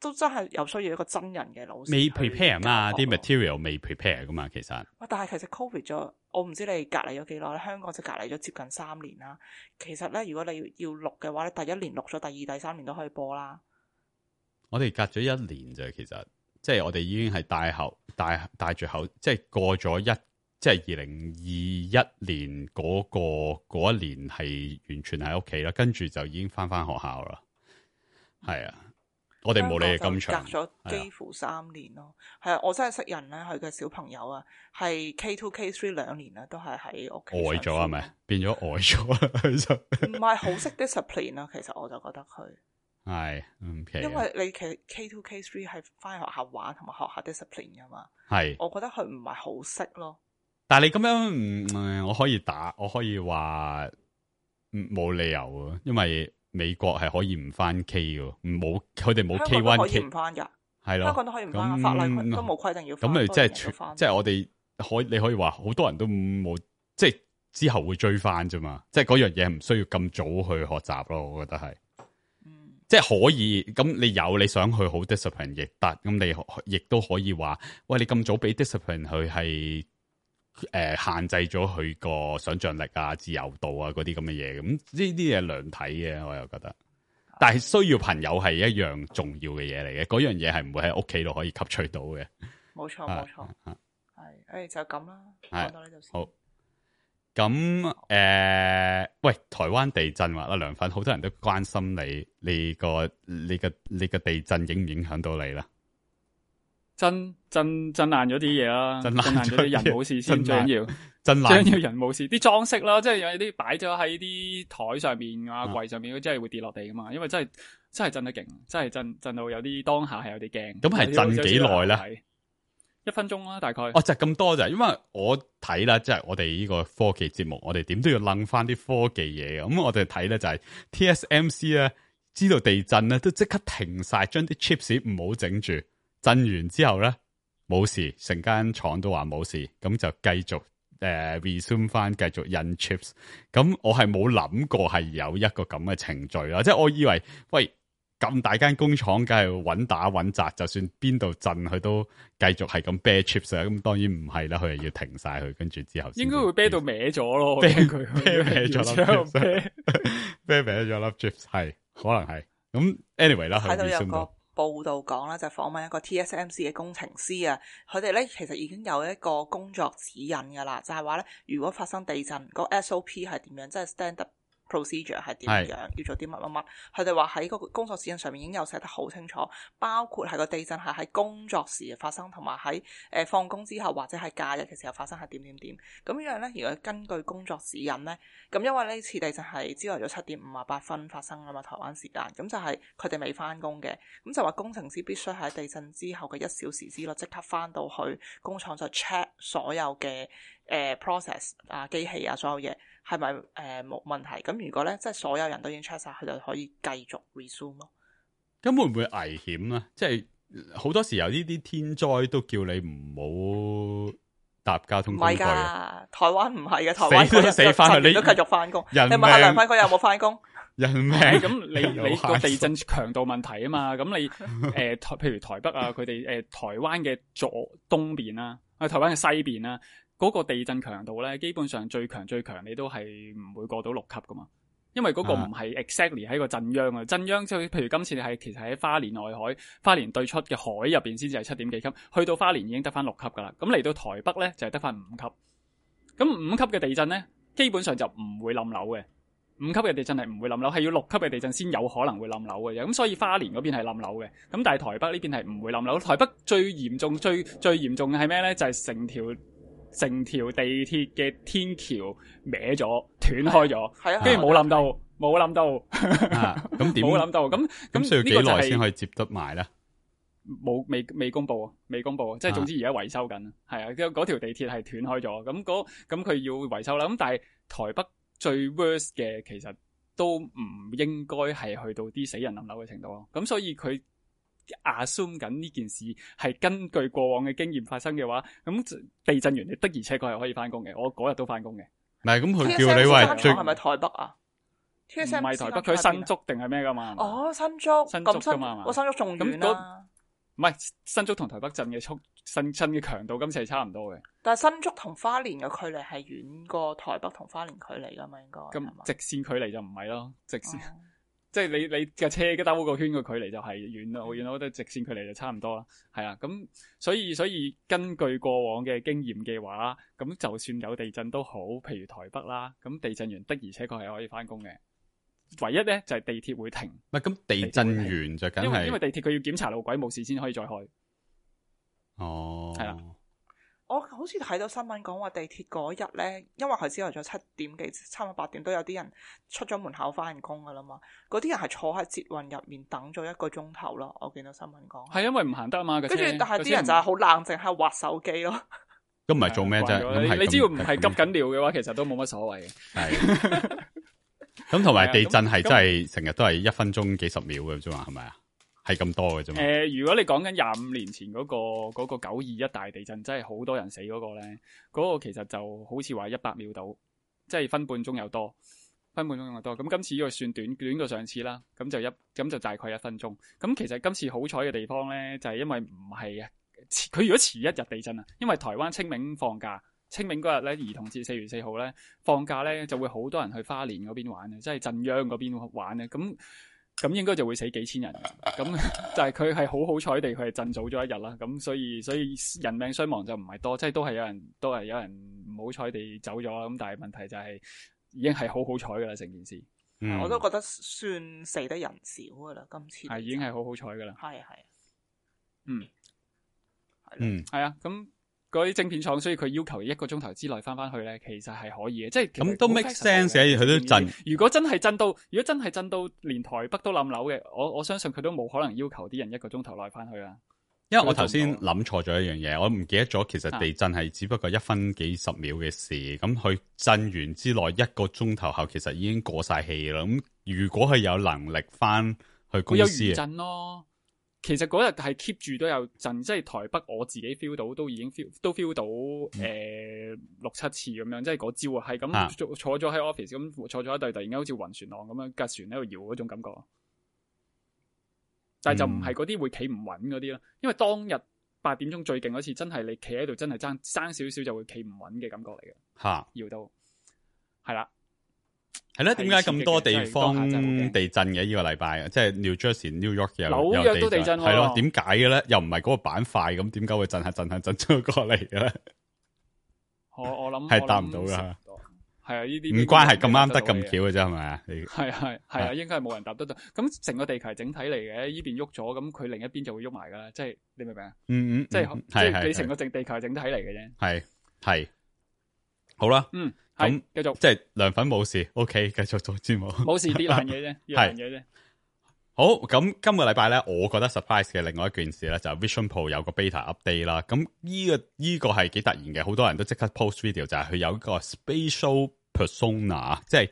[SPEAKER 4] 都真係有需要一個真人嘅老師未
[SPEAKER 5] prepare 嘛，啲 material 未 prepare 噶嘛，其實。
[SPEAKER 4] 但係其實 Covid 咗，我唔知你隔離咗幾耐，香港就隔離咗接近3年啦。其實咧，如果你要錄嘅話咧，第一年錄咗，第二、第3年都可以播啦。
[SPEAKER 5] 我哋隔咗1年啫，其實即係我哋已經係戴住口，即係過咗即係2021年嗰一年係完全喺屋企啦，跟住就已經翻學校啦。係啊。我哋冇你哋咁長，
[SPEAKER 4] 隔咗幾乎3年咯。係啊，我真係識人咧，佢嘅小朋友啊，係 K2、K3 2年啦，都係喺屋企。
[SPEAKER 5] 呆咗係咪？變咗呆咗，
[SPEAKER 4] 唔係好識 discipline 啦。其實我就覺得佢
[SPEAKER 5] 係，
[SPEAKER 4] 因為你其實 K2、K3 係翻學校玩同埋學下 discipline 噶嘛。
[SPEAKER 5] 係，
[SPEAKER 4] 我覺得佢唔係好識咯。
[SPEAKER 5] 但係你咁樣，我可以話冇理由啊，因為美國係可以唔翻 K 嘅，佢哋冇 K1
[SPEAKER 4] 可以唔翻噶，
[SPEAKER 5] 係咯，
[SPEAKER 4] 香港都可以唔翻，法例都冇規定要翻。
[SPEAKER 5] 咁咪即係我哋你可以話好多人都冇，即係之後會追翻啫嘛，即係嗰樣嘢唔需要咁早去學習咯，我覺得係。即係可以，咁你想去好 discipline 亦得，咁你亦都可以話，喂，你咁早俾 discipline 佢係限制咗佢個想像力啊、自由度啊嗰啲咁嘅嘢，咁呢啲嘢兩睇嘅，我又覺得。但係需要朋友係一樣重要嘅嘢嚟嘅，嗰樣嘢係唔會喺屋企度可以吸取到嘅。
[SPEAKER 4] 冇錯，冇錯，係，就咁啦，講到呢度先。好。
[SPEAKER 5] 咁喂，台灣地震話啦，涼粉好多人都關心你個地震影唔影響到你啦？震爛
[SPEAKER 1] 咗啲嘢啦，震爛咗啲人冇事先，最緊要
[SPEAKER 5] 震爛，
[SPEAKER 1] 最緊要人冇事。啲裝飾啦，即係有啲擺咗喺啲台上面啊、櫃上面，真係會跌落地噶嘛。因為真係震得勁，真係震到有啲當下係有啲驚。
[SPEAKER 5] 咁係震幾耐咧
[SPEAKER 1] ？1分鐘啦，大概。
[SPEAKER 5] 哦，就咁多咋？因為我睇啦，即係我哋呢個科技節目，我哋點都要諗翻啲科技嘢嘅。咁我哋睇咧就係 TSMC 咧，知道地震咧都即刻停晒，將啲 chips 唔好整住。震完之後咧冇事，成間廠都話冇事，咁就繼續resume 翻，繼續印 chips。咁我係冇諗過係有一個咁嘅程序啦，即係我以為喂。咁大間工廠梗係穩打穩紮，就算邊度震佢都繼續係咁啤 chips 啊！咁當然唔係啦，佢係要停晒佢，跟住之後
[SPEAKER 1] 應該會啤到歪咗咯，
[SPEAKER 5] 啤歪咗粒 啤歪咗粒 chips 係可能係咁 anyway 啦。
[SPEAKER 4] 睇到有個報道講啦，就訪問一個 TSMC 嘅工程師啊，佢哋咧其實已經有一個工作指引噶啦，就係話咧，如果發生地震，個 SOP 係點樣，即係 standard procedure 係點樣，要做啲乜乜乜，佢哋話喺個工作指引上面已經有寫得好清楚，包括係個地震係喺工作時發生，同埋喺放工之後或者係假日嘅時候發生係點點點。咁樣咧，如果根據工作指引咧，咁因為呢次地震係朝頭早7:58發生啊嘛，台灣時間，咁就係佢哋未翻工嘅，咁就話工程師必須喺地震之後嘅1小時之內即刻翻到去工廠就 check 所有嘅process 啊、機器啊，所有嘢係咪冇問題？咁如果咧，即係所有人都已經 check 晒，佢就可以繼續 resume 咯。
[SPEAKER 5] 咁會唔會危險咧？即係好多時候呢啲天災都叫你唔好搭交通工具。唔係㗎，
[SPEAKER 4] 台灣唔係嘅，台灣
[SPEAKER 5] 死翻去，你
[SPEAKER 4] 都繼續翻工。
[SPEAKER 5] 你
[SPEAKER 4] 問下梁輝哥有冇翻工？
[SPEAKER 5] 人命
[SPEAKER 1] 咁你個地震強度問題啊嘛，咁你譬如台北啊，佢哋台灣嘅東邊啦，台灣嘅西邊啦。嗰個地震強度咧，基本上最強你都係唔會過到6級噶嘛，因為嗰個唔係 exactly 喺個震央啊，震央即係譬如今次你係其實喺花蓮外海、花蓮對出嘅海入邊先至係7點幾級，去到花蓮已經得翻6級噶啦，咁嚟到台北咧就係得翻5級，咁5級嘅地震咧基本上就唔會冧樓嘅，5級嘅地震係唔會冧樓，係要6級嘅地震先有可能會冧樓嘅，咁所以花蓮嗰邊係冧樓嘅，咁但係台北呢邊係唔會冧樓，台北最嚴重最嚴重嘅係咩咧？就係成條地鐵嘅天橋歪咗、斷開咗，跟住冇冧到，
[SPEAKER 5] 咁點冇
[SPEAKER 1] 冧到？咁
[SPEAKER 5] 需要幾耐先可以接得埋咧？
[SPEAKER 1] 未公布，即係總之而家維修緊，係啊，嗰條地鐵係斷開咗，咁佢要維修啦。咁但係台北最 worst 嘅其實都唔應該係去到啲死人冧樓嘅程度咯。咁所以佢assume 緊呢件事係根據過往嘅經驗發生嘅話，咁地震完你的而且確係可以翻工嘅，我嗰日都翻工嘅。
[SPEAKER 5] 唔係咁佢叫你喂，
[SPEAKER 4] 係咪台北啊？
[SPEAKER 1] 唔係台北，佢新竹定係咩噶嘛？
[SPEAKER 4] 哦，新竹噶嘛？我新竹仲遠啦。
[SPEAKER 1] 唔係新竹同台北震嘅新嘅強度今次係差唔多嘅。但
[SPEAKER 4] 係新竹同花蓮嘅距離係遠過台北同花蓮距離噶嘛？應該
[SPEAKER 1] 咁直線距離就唔係咯，直線。即係你架車嘅兜個圈嘅距離就係遠啦，我覺得直線距離就差唔多啦，係啊，咁所以根據過往嘅經驗嘅話，咁就算有地震都好，譬如台北啦，咁地震完的而且確係可以翻工嘅，唯一咧就係地鐵會停。
[SPEAKER 5] 唔係咁地震完就梗係
[SPEAKER 1] 因為地鐵佢要檢查路軌冇事先可以再開。
[SPEAKER 5] 哦，
[SPEAKER 1] 係啦。
[SPEAKER 4] 我好似睇到新聞講話地鐵嗰日咧，因為佢朝頭早7點幾，差唔多8點都有啲人出咗門口翻工噶啦嘛。嗰啲人係坐喺捷運入面等咗1個鐘頭咯。我見到新聞講
[SPEAKER 1] 係因為唔行得啊嘛。
[SPEAKER 4] 跟住但係啲人就係好冷靜喺度滑手機咯。
[SPEAKER 5] 咁唔係做咩啫？咁
[SPEAKER 1] 你只要唔係急緊尿嘅話，其實都冇乜所謂嘅。
[SPEAKER 5] 係。咁同埋地震係真係成日都係1分鐘幾十秒嘅啫嘛，係咪啊？係咁多嘅啫嘛。
[SPEAKER 1] 如果你講緊25年前嗰個921大地震，真係好多人死嗰個咧，嗰個其實就好似話100秒到，即係分半鐘又多。咁今次呢個算短過上次啦，咁就大概1分鐘。咁其實今次好彩嘅地方咧，就係因為唔係佢如果遲一日地震啊，因為台灣清明放假。清明嗰日咧，兒童節4月4號咧放假咧，就會好多人去花蓮嗰邊玩嘅，即係鎮央嗰邊玩咧。咁應該就會死幾千人。咁但係佢係好彩地，佢係震早咗一日啦。咁所以人命傷亡就唔係多，即係都係有人唔好彩地走咗啦。咁但係問題就係已經係好彩噶啦，成件事。
[SPEAKER 4] 我都覺得算死得人少噶啦，今次
[SPEAKER 1] 係已經係好彩噶啦。
[SPEAKER 4] 係。
[SPEAKER 1] 係啊，咁。嗰啲晶片廠，所以佢要求1個鐘頭之內翻去咧，其實係可以嘅，即係
[SPEAKER 5] 咁都 make sense 嘅，佢都震。
[SPEAKER 1] 如果真係震到連台北都冧樓嘅，我相信佢都冇可能要求啲人1個鐘頭內翻去啦。
[SPEAKER 5] 因為我頭先諗錯咗一樣嘢，我唔記得咗，其實地震係只不過1分幾十秒嘅事，咁佢震完之內1個鐘頭後，其實已經過晒氣啦。咁如果佢有能力翻去公司，
[SPEAKER 1] 會有餘震咯。其實嗰日係 keep 住都有震，即係台北我自己 feel 到，都已經 feel 到6-7次咁樣，即係嗰朝啊，係咁坐咗喺 office 咁坐咗一隊，突然間好似暈船浪咁樣，架船喺度搖嗰種感覺。但係就唔係嗰啲會企唔穩嗰啲咯，因為當日8點鐘最勁嗰次，真係你企喺度真係爭少少就會企唔穩嘅感覺嚟嘅。搖到係啦。
[SPEAKER 5] 係咧，點解咁多地方地震嘅呢個禮拜？即係 New Jersey、New York
[SPEAKER 1] 紐約都地震，
[SPEAKER 5] 係咯？點解嘅咧？又唔係嗰個板塊，咁點解會震咗過嚟嘅咧？
[SPEAKER 1] 我諗
[SPEAKER 5] 係答唔到噶。
[SPEAKER 1] 係啊，呢啲
[SPEAKER 5] 唔關係咁啱得咁巧嘅啫，係咪啊？
[SPEAKER 1] 係啊，應該係冇人答得到。咁成個地球係整體嚟嘅，呢邊喐咗，咁佢另一邊就會喐埋噶啦。即係你明唔明啊？即係你成個地球係整體嚟嘅啫。
[SPEAKER 5] 係好啦。
[SPEAKER 1] 咁繼續，
[SPEAKER 5] 即係涼粉冇事 ，OK， 繼續做節目。
[SPEAKER 1] 冇事跌爛嘢啫，跌爛嘢啫。
[SPEAKER 5] 好，咁今個禮拜咧，我覺得 surprise 嘅另外一件事咧，就係 Vision Pro 有個 beta update 啦。咁呢個係幾突然嘅，好多人都即刻 post video，就係佢有一個 spatial persona， 即係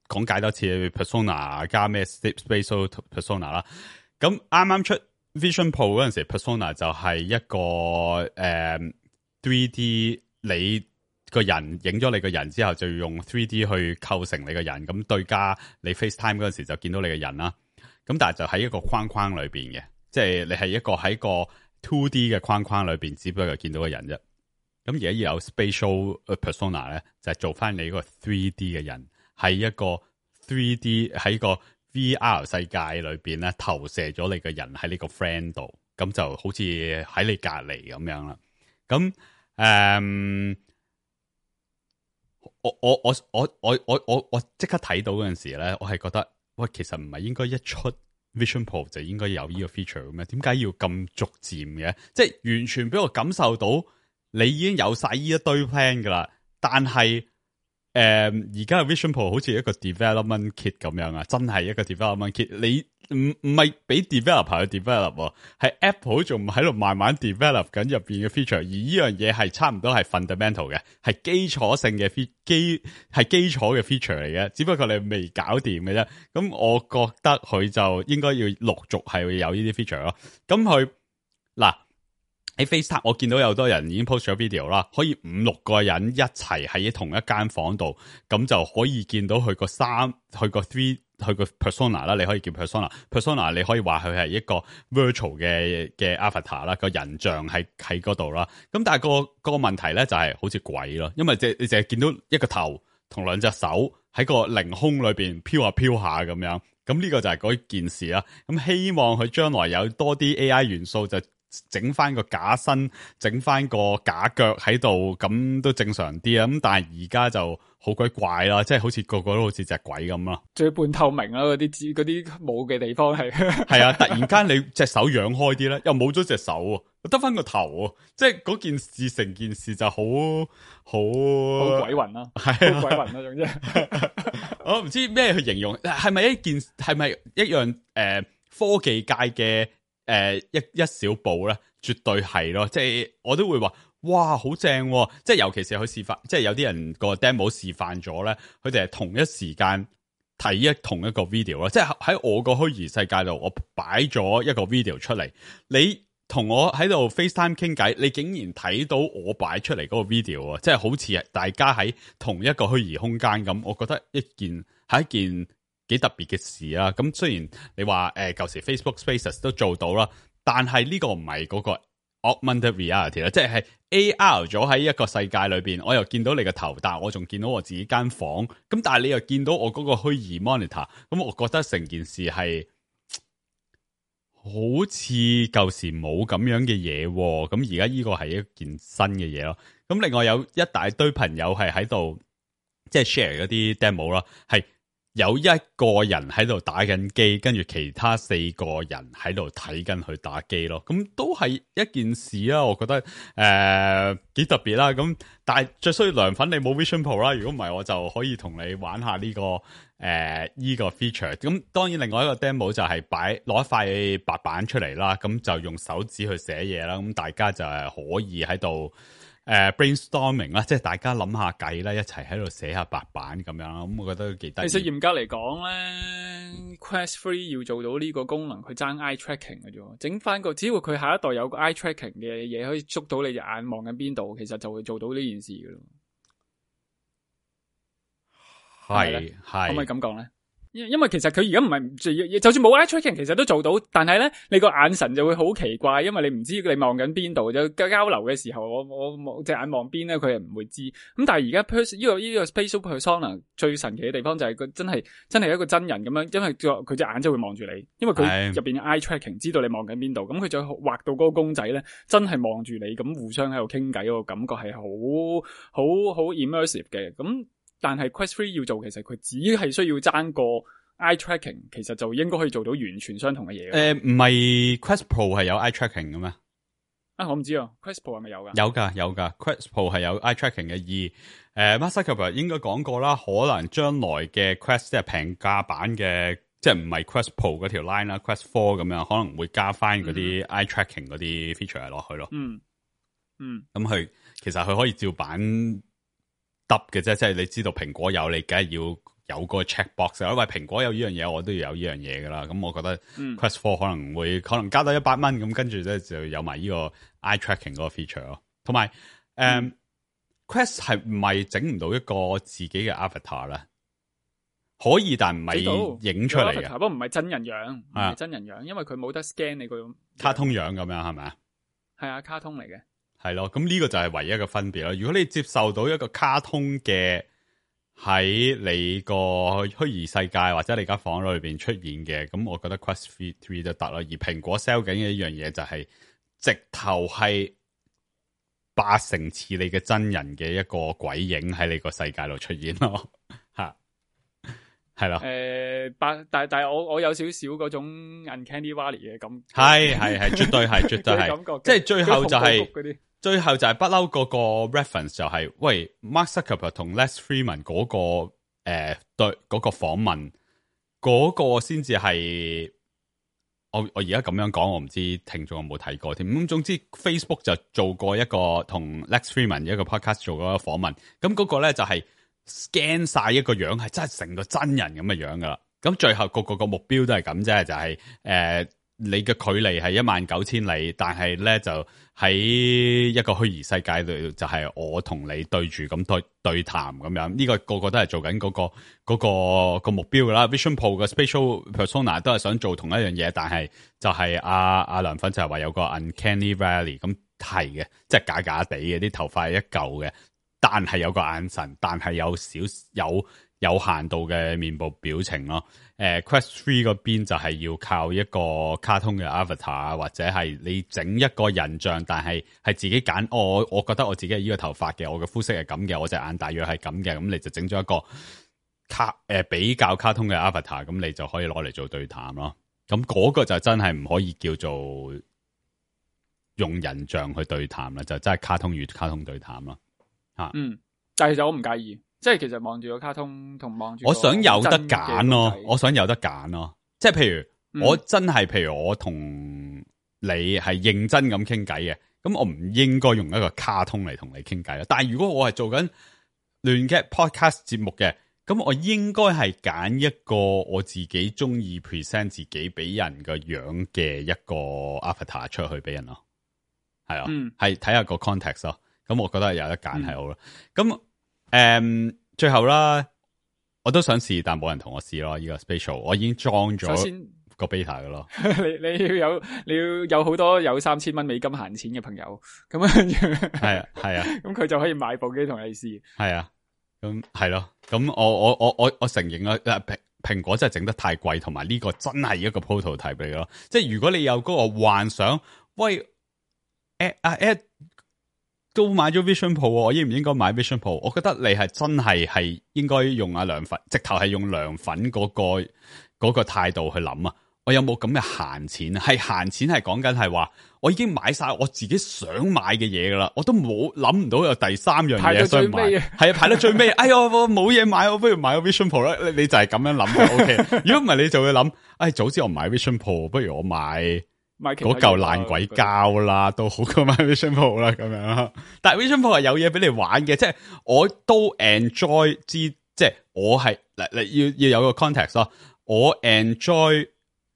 [SPEAKER 5] 講解多次 persona 加咩 spatial persona 啦。咁啱啱出 Vision Pro 嗰陣時 ，persona 就係一個3D 你個人影咗你個人之後，就要用 3D 去構成你個人，咁對加你 FaceTime 嗰陣時就見到你個人啦。咁但係就喺一個框框裏邊嘅，即係你係一個喺個 2D 嘅框框裏邊，只不過見到個人啫。咁而家要有 spatial persona 咧，就係做翻你個 3D 嘅人，喺一個 3D 喺個 VR 世界裏邊咧，投射咗你個人喺呢個 friend 度，咁就好似喺你隔籬咁樣啦。咁我即刻睇到嗰陣時咧，我係覺得喂，其實唔係應該一出 Vision Pro 就應該有呢個 feature 嘅咩？點解要咁逐漸嘅？即係完全俾我感受到你已經有晒呢一堆 plan 噶啦，但係而家嘅 Vision Pro 好似一個 development kit 咁樣啊，真係一個 development kit。你唔係俾 developer 去 develop， 係 Apple 仲喺度慢慢 develop 緊入邊嘅 feature，而呢樣嘢係差唔多係 fundamental 嘅，係基礎性嘅基礎嘅 feature 嚟嘅，只不過你未搞掂嘅啫。咁我覺得佢就應該要陸續係會有呢啲 feature 咯。咁佢嗱喺 FaceTime， 我見到有好多人已經 post 咗 video 啦，可以5-6個人一齊喺同一間房度，咁就可以見到佢個佢個 persona 啦，你可以叫 persona， 你可以話佢係一個 virtual 嘅 avatar 啦，個人像喺嗰度啦。咁但係個問題咧就係好似鬼咯，因為你淨係見到一個頭同2隻手喺個凌空裏邊飄下飄下咁樣。咁呢個就係嗰件事啦。咁希望佢將來有多啲 AI 元素，就整翻個假身，整翻個假腳喺度，咁都正常啲啊。咁但係而家就好鬼怪啦，即係好似個個都好似隻鬼咁咯。
[SPEAKER 1] 最半透明啦，嗰啲冇嘅地方係
[SPEAKER 5] 係啊！突然間你隻手揚開啲咧，又冇咗隻手，得翻個頭，即係嗰件事成件事就好
[SPEAKER 1] 鬼魂啦，係好鬼魂啦，總之
[SPEAKER 5] 我唔知咩去形容，係咪一樣科技界嘅一小步咧？絕對係咯，即係我都會話，哇好正喎！即係尤其是佢示範，即係有啲人個 demo 示範咗咧，佢哋係同一時間睇同一個 video 啦。即係喺我個虛擬世界度，我擺咗一個 video 出嚟，你同我喺度 FaceTime 傾偈，你竟然睇到我擺出嚟嗰個 video 啊！即係好似係大家喺同一個虛擬空間咁，我覺得係一件幾特別嘅事啦。咁雖然你話舊時 Facebook Spaces 都做到啦，但係呢個唔係嗰個 augmented reality 啦，即係 AR 咗喺一個世界裏邊，我又見到你個頭，但係我仲見到我自己間房，咁但係你又見到我嗰個虛擬 monitor，咁我覺得成件事係好似舊時冇咁樣嘅嘢，咁而家呢個係一件新嘅嘢咯。咁另外有一大堆朋友係喺度即係 share 嗰啲 demo 啦，係有一個人喺度打緊機，跟住其他4個人喺度睇緊佢打機咯。咁都係一件事啦，我覺得幾特別啦。咁但係最需要涼粉，你冇 Vision Pro 啦。如果唔係，我就可以同你玩下呢個呢個 feature。咁當然另外一個 demo 就係攞一塊白板出嚟啦，咁就用手指去寫嘢啦。咁大家就係可以喺度brainstorming 啦，即係大家諗下計啦，一齊喺度寫下白板咁樣啦。咁我覺得都幾得意。
[SPEAKER 1] 其實嚴格嚟講咧 ，Quest 3要做到呢個功能，佢爭 eye tracking 嘅啫。整翻個，只要佢下一代有個 eye tracking 嘅嘢，可以捉到你隻眼望緊邊度，其實就會做到呢件事嘅咯。
[SPEAKER 5] 係，
[SPEAKER 1] 可唔可以咁講咧？因為其實佢而家唔係就算冇 eye tracking 其實都做到，但係咧你個眼神就會好奇怪，因為你唔知你望緊邊度，就交流嘅時候我隻眼望邊咧，佢係唔會知。咁但係而家呢個 spatial persona 最神奇嘅地方就係佢真係一個真人咁樣，因為佢隻眼就會望住你，因為佢入邊 eye tracking 知道你望緊邊度，咁佢就畫到嗰個公仔咧真係望住你，咁互相喺度傾偈，個感覺係好 immersive 嘅。咁但係 Quest 3要做，其實佢只係需要爭個 eye tracking， 其實就應該可以做到完全相同嘅嘢。
[SPEAKER 5] 唔係 Quest Pro 係有 eye tracking 嘅咩？
[SPEAKER 1] 啊，我唔知啊 ，Quest Pro 係咪有噶？
[SPEAKER 5] 有噶 ，Quest Pro 係有 eye tracking 嘅。而Mark Zuckerberg 應該講過啦，可能將來嘅 Quest 即係平價版嘅，即係唔係 Quest Pro 嗰條 line 啦 ，Quest 4咁樣可能會加翻嗰啲 eye tracking 嗰啲 feature 落去咯。咁佢其實佢可以照版得嘅啫，即係你知道蘋果有，你梗係要有個 checkbox， 因為蘋果有呢樣嘢，我都要有呢樣嘢噶啦。咁我覺得 Quest 4可能加多100蚊，咁跟住咧就有埋呢個 eye tracking 嗰個 feature 咯。同埋Quest 係唔係整唔到一個自己嘅 avatar 咧？可以，但唔係影出嚟嘅。
[SPEAKER 1] 不過唔係真人樣，唔係真人樣，因為佢冇得 scan 你個
[SPEAKER 5] 卡通樣咁樣係咪啊？
[SPEAKER 1] 係啊，卡通嚟嘅。
[SPEAKER 5] 係咯，咁呢個就係唯一嘅分別啦。如果你接受到一個卡通嘅喺你個虛擬世界或者你間房裏邊出現嘅，咁我覺得 Quest 3都得啦。而蘋果 sell 緊嘅一樣嘢就係直頭係80%似你嘅真人嘅一個鬼影喺你個世界度出現咯，吓係咯。
[SPEAKER 1] 但係我有少少嗰種 Uncanny Valley 嘅感覺，
[SPEAKER 5] 係絕對係即係最後就係不嬲嗰個 reference 就係、喂 Mark Zuckerberg 同 Les Freeman 嗰個對嗰個訪問嗰個先至係我而家咁樣講，我唔知聽眾有冇睇過添。咁總之 Facebook 就做過一個同 Les Freeman 一個 podcast 做過一個訪問，咁嗰個咧就係 scan 晒一個樣係真係成個真人咁嘅樣噶啦。咁最後個目標都係咁啫，就係你嘅距離係19000里，但係咧就喺一個虛擬世界度，就係我同你對住咁對談咁樣。呢個個都係做緊嗰個目標噶啦。Vision Pro 嘅 Spatial Persona 都係想做同一樣嘢，但係就係阿涼粉就係話有個 Uncanny Valley， 咁係嘅，即係假假地嘅，啲頭髮係一嚿嘅，但係有個眼神，但係有限度嘅面部表情咯。Quest 3嗰邊就係要靠一個卡通嘅 avatar， 或者係你整一個人像，但係自己揀。我覺得我自己係呢個頭髮嘅，我嘅膚色係咁嘅，我隻眼大約係咁嘅，咁你就整咗一個比較卡通嘅 avatar， 咁你就可以攞嚟做對談咯。咁嗰個就真係唔可以叫做用人像去對談啦，就真係卡通與卡通對談咯。
[SPEAKER 1] 但係其實我唔介意。即係其實望住個卡通同望住，
[SPEAKER 5] 我想有得揀咯，即係譬如我真係，譬如我同你係認真咁傾偈嘅，咁我唔應該用一個卡通嚟同你傾偈啦。但係如果我係做緊亂 gad podcast 節目嘅，咁我應該係揀一個我自己中意 present 自己俾人個樣嘅一個 avatar 出去俾人咯。係啊，係睇下個 context 咯。咁我覺得有得揀係好啦。咁最後啦，我都想試，但冇人同我試咯。呢個 spatial 我已經裝咗個 beta 噶咯。
[SPEAKER 1] 你要有好多有$3000美金閒錢嘅朋友，咁跟住
[SPEAKER 5] 係啊，咁
[SPEAKER 1] 佢就可以買部機同你試。
[SPEAKER 5] 係啊，咁係咯。咁我承認啦，蘋果真係整得太貴，同埋呢個真係一個 prototype 嚟咯。即係如果你有嗰個幻想，喂，Ed 都買咗 Vision Pro，我應唔應該買 Vision Pro？我覺得你係真係應該用阿涼粉，直頭係用涼粉嗰個態度去諗啊！我有冇咁嘅閒錢？係閒錢係講緊係話，我已經買晒我自己想買嘅嘢噶啦，我都冇諗唔到有第三樣嘢想買。係啊，排到最尾，哎呀，我冇嘢買，我不如買個 Vision Pro 啦。你就係咁樣諗嘅，OK。如果唔係，你就會諗，早知我唔買 Vision Pro，不如我買嗰嚿爛鬼膠啦，都好過買 Vision Pro 啦，咁樣。但係 Vision Pro 係有嘢俾你玩嘅，即係我都 enjoy 即係我係要有個 context 咯。我 enjoy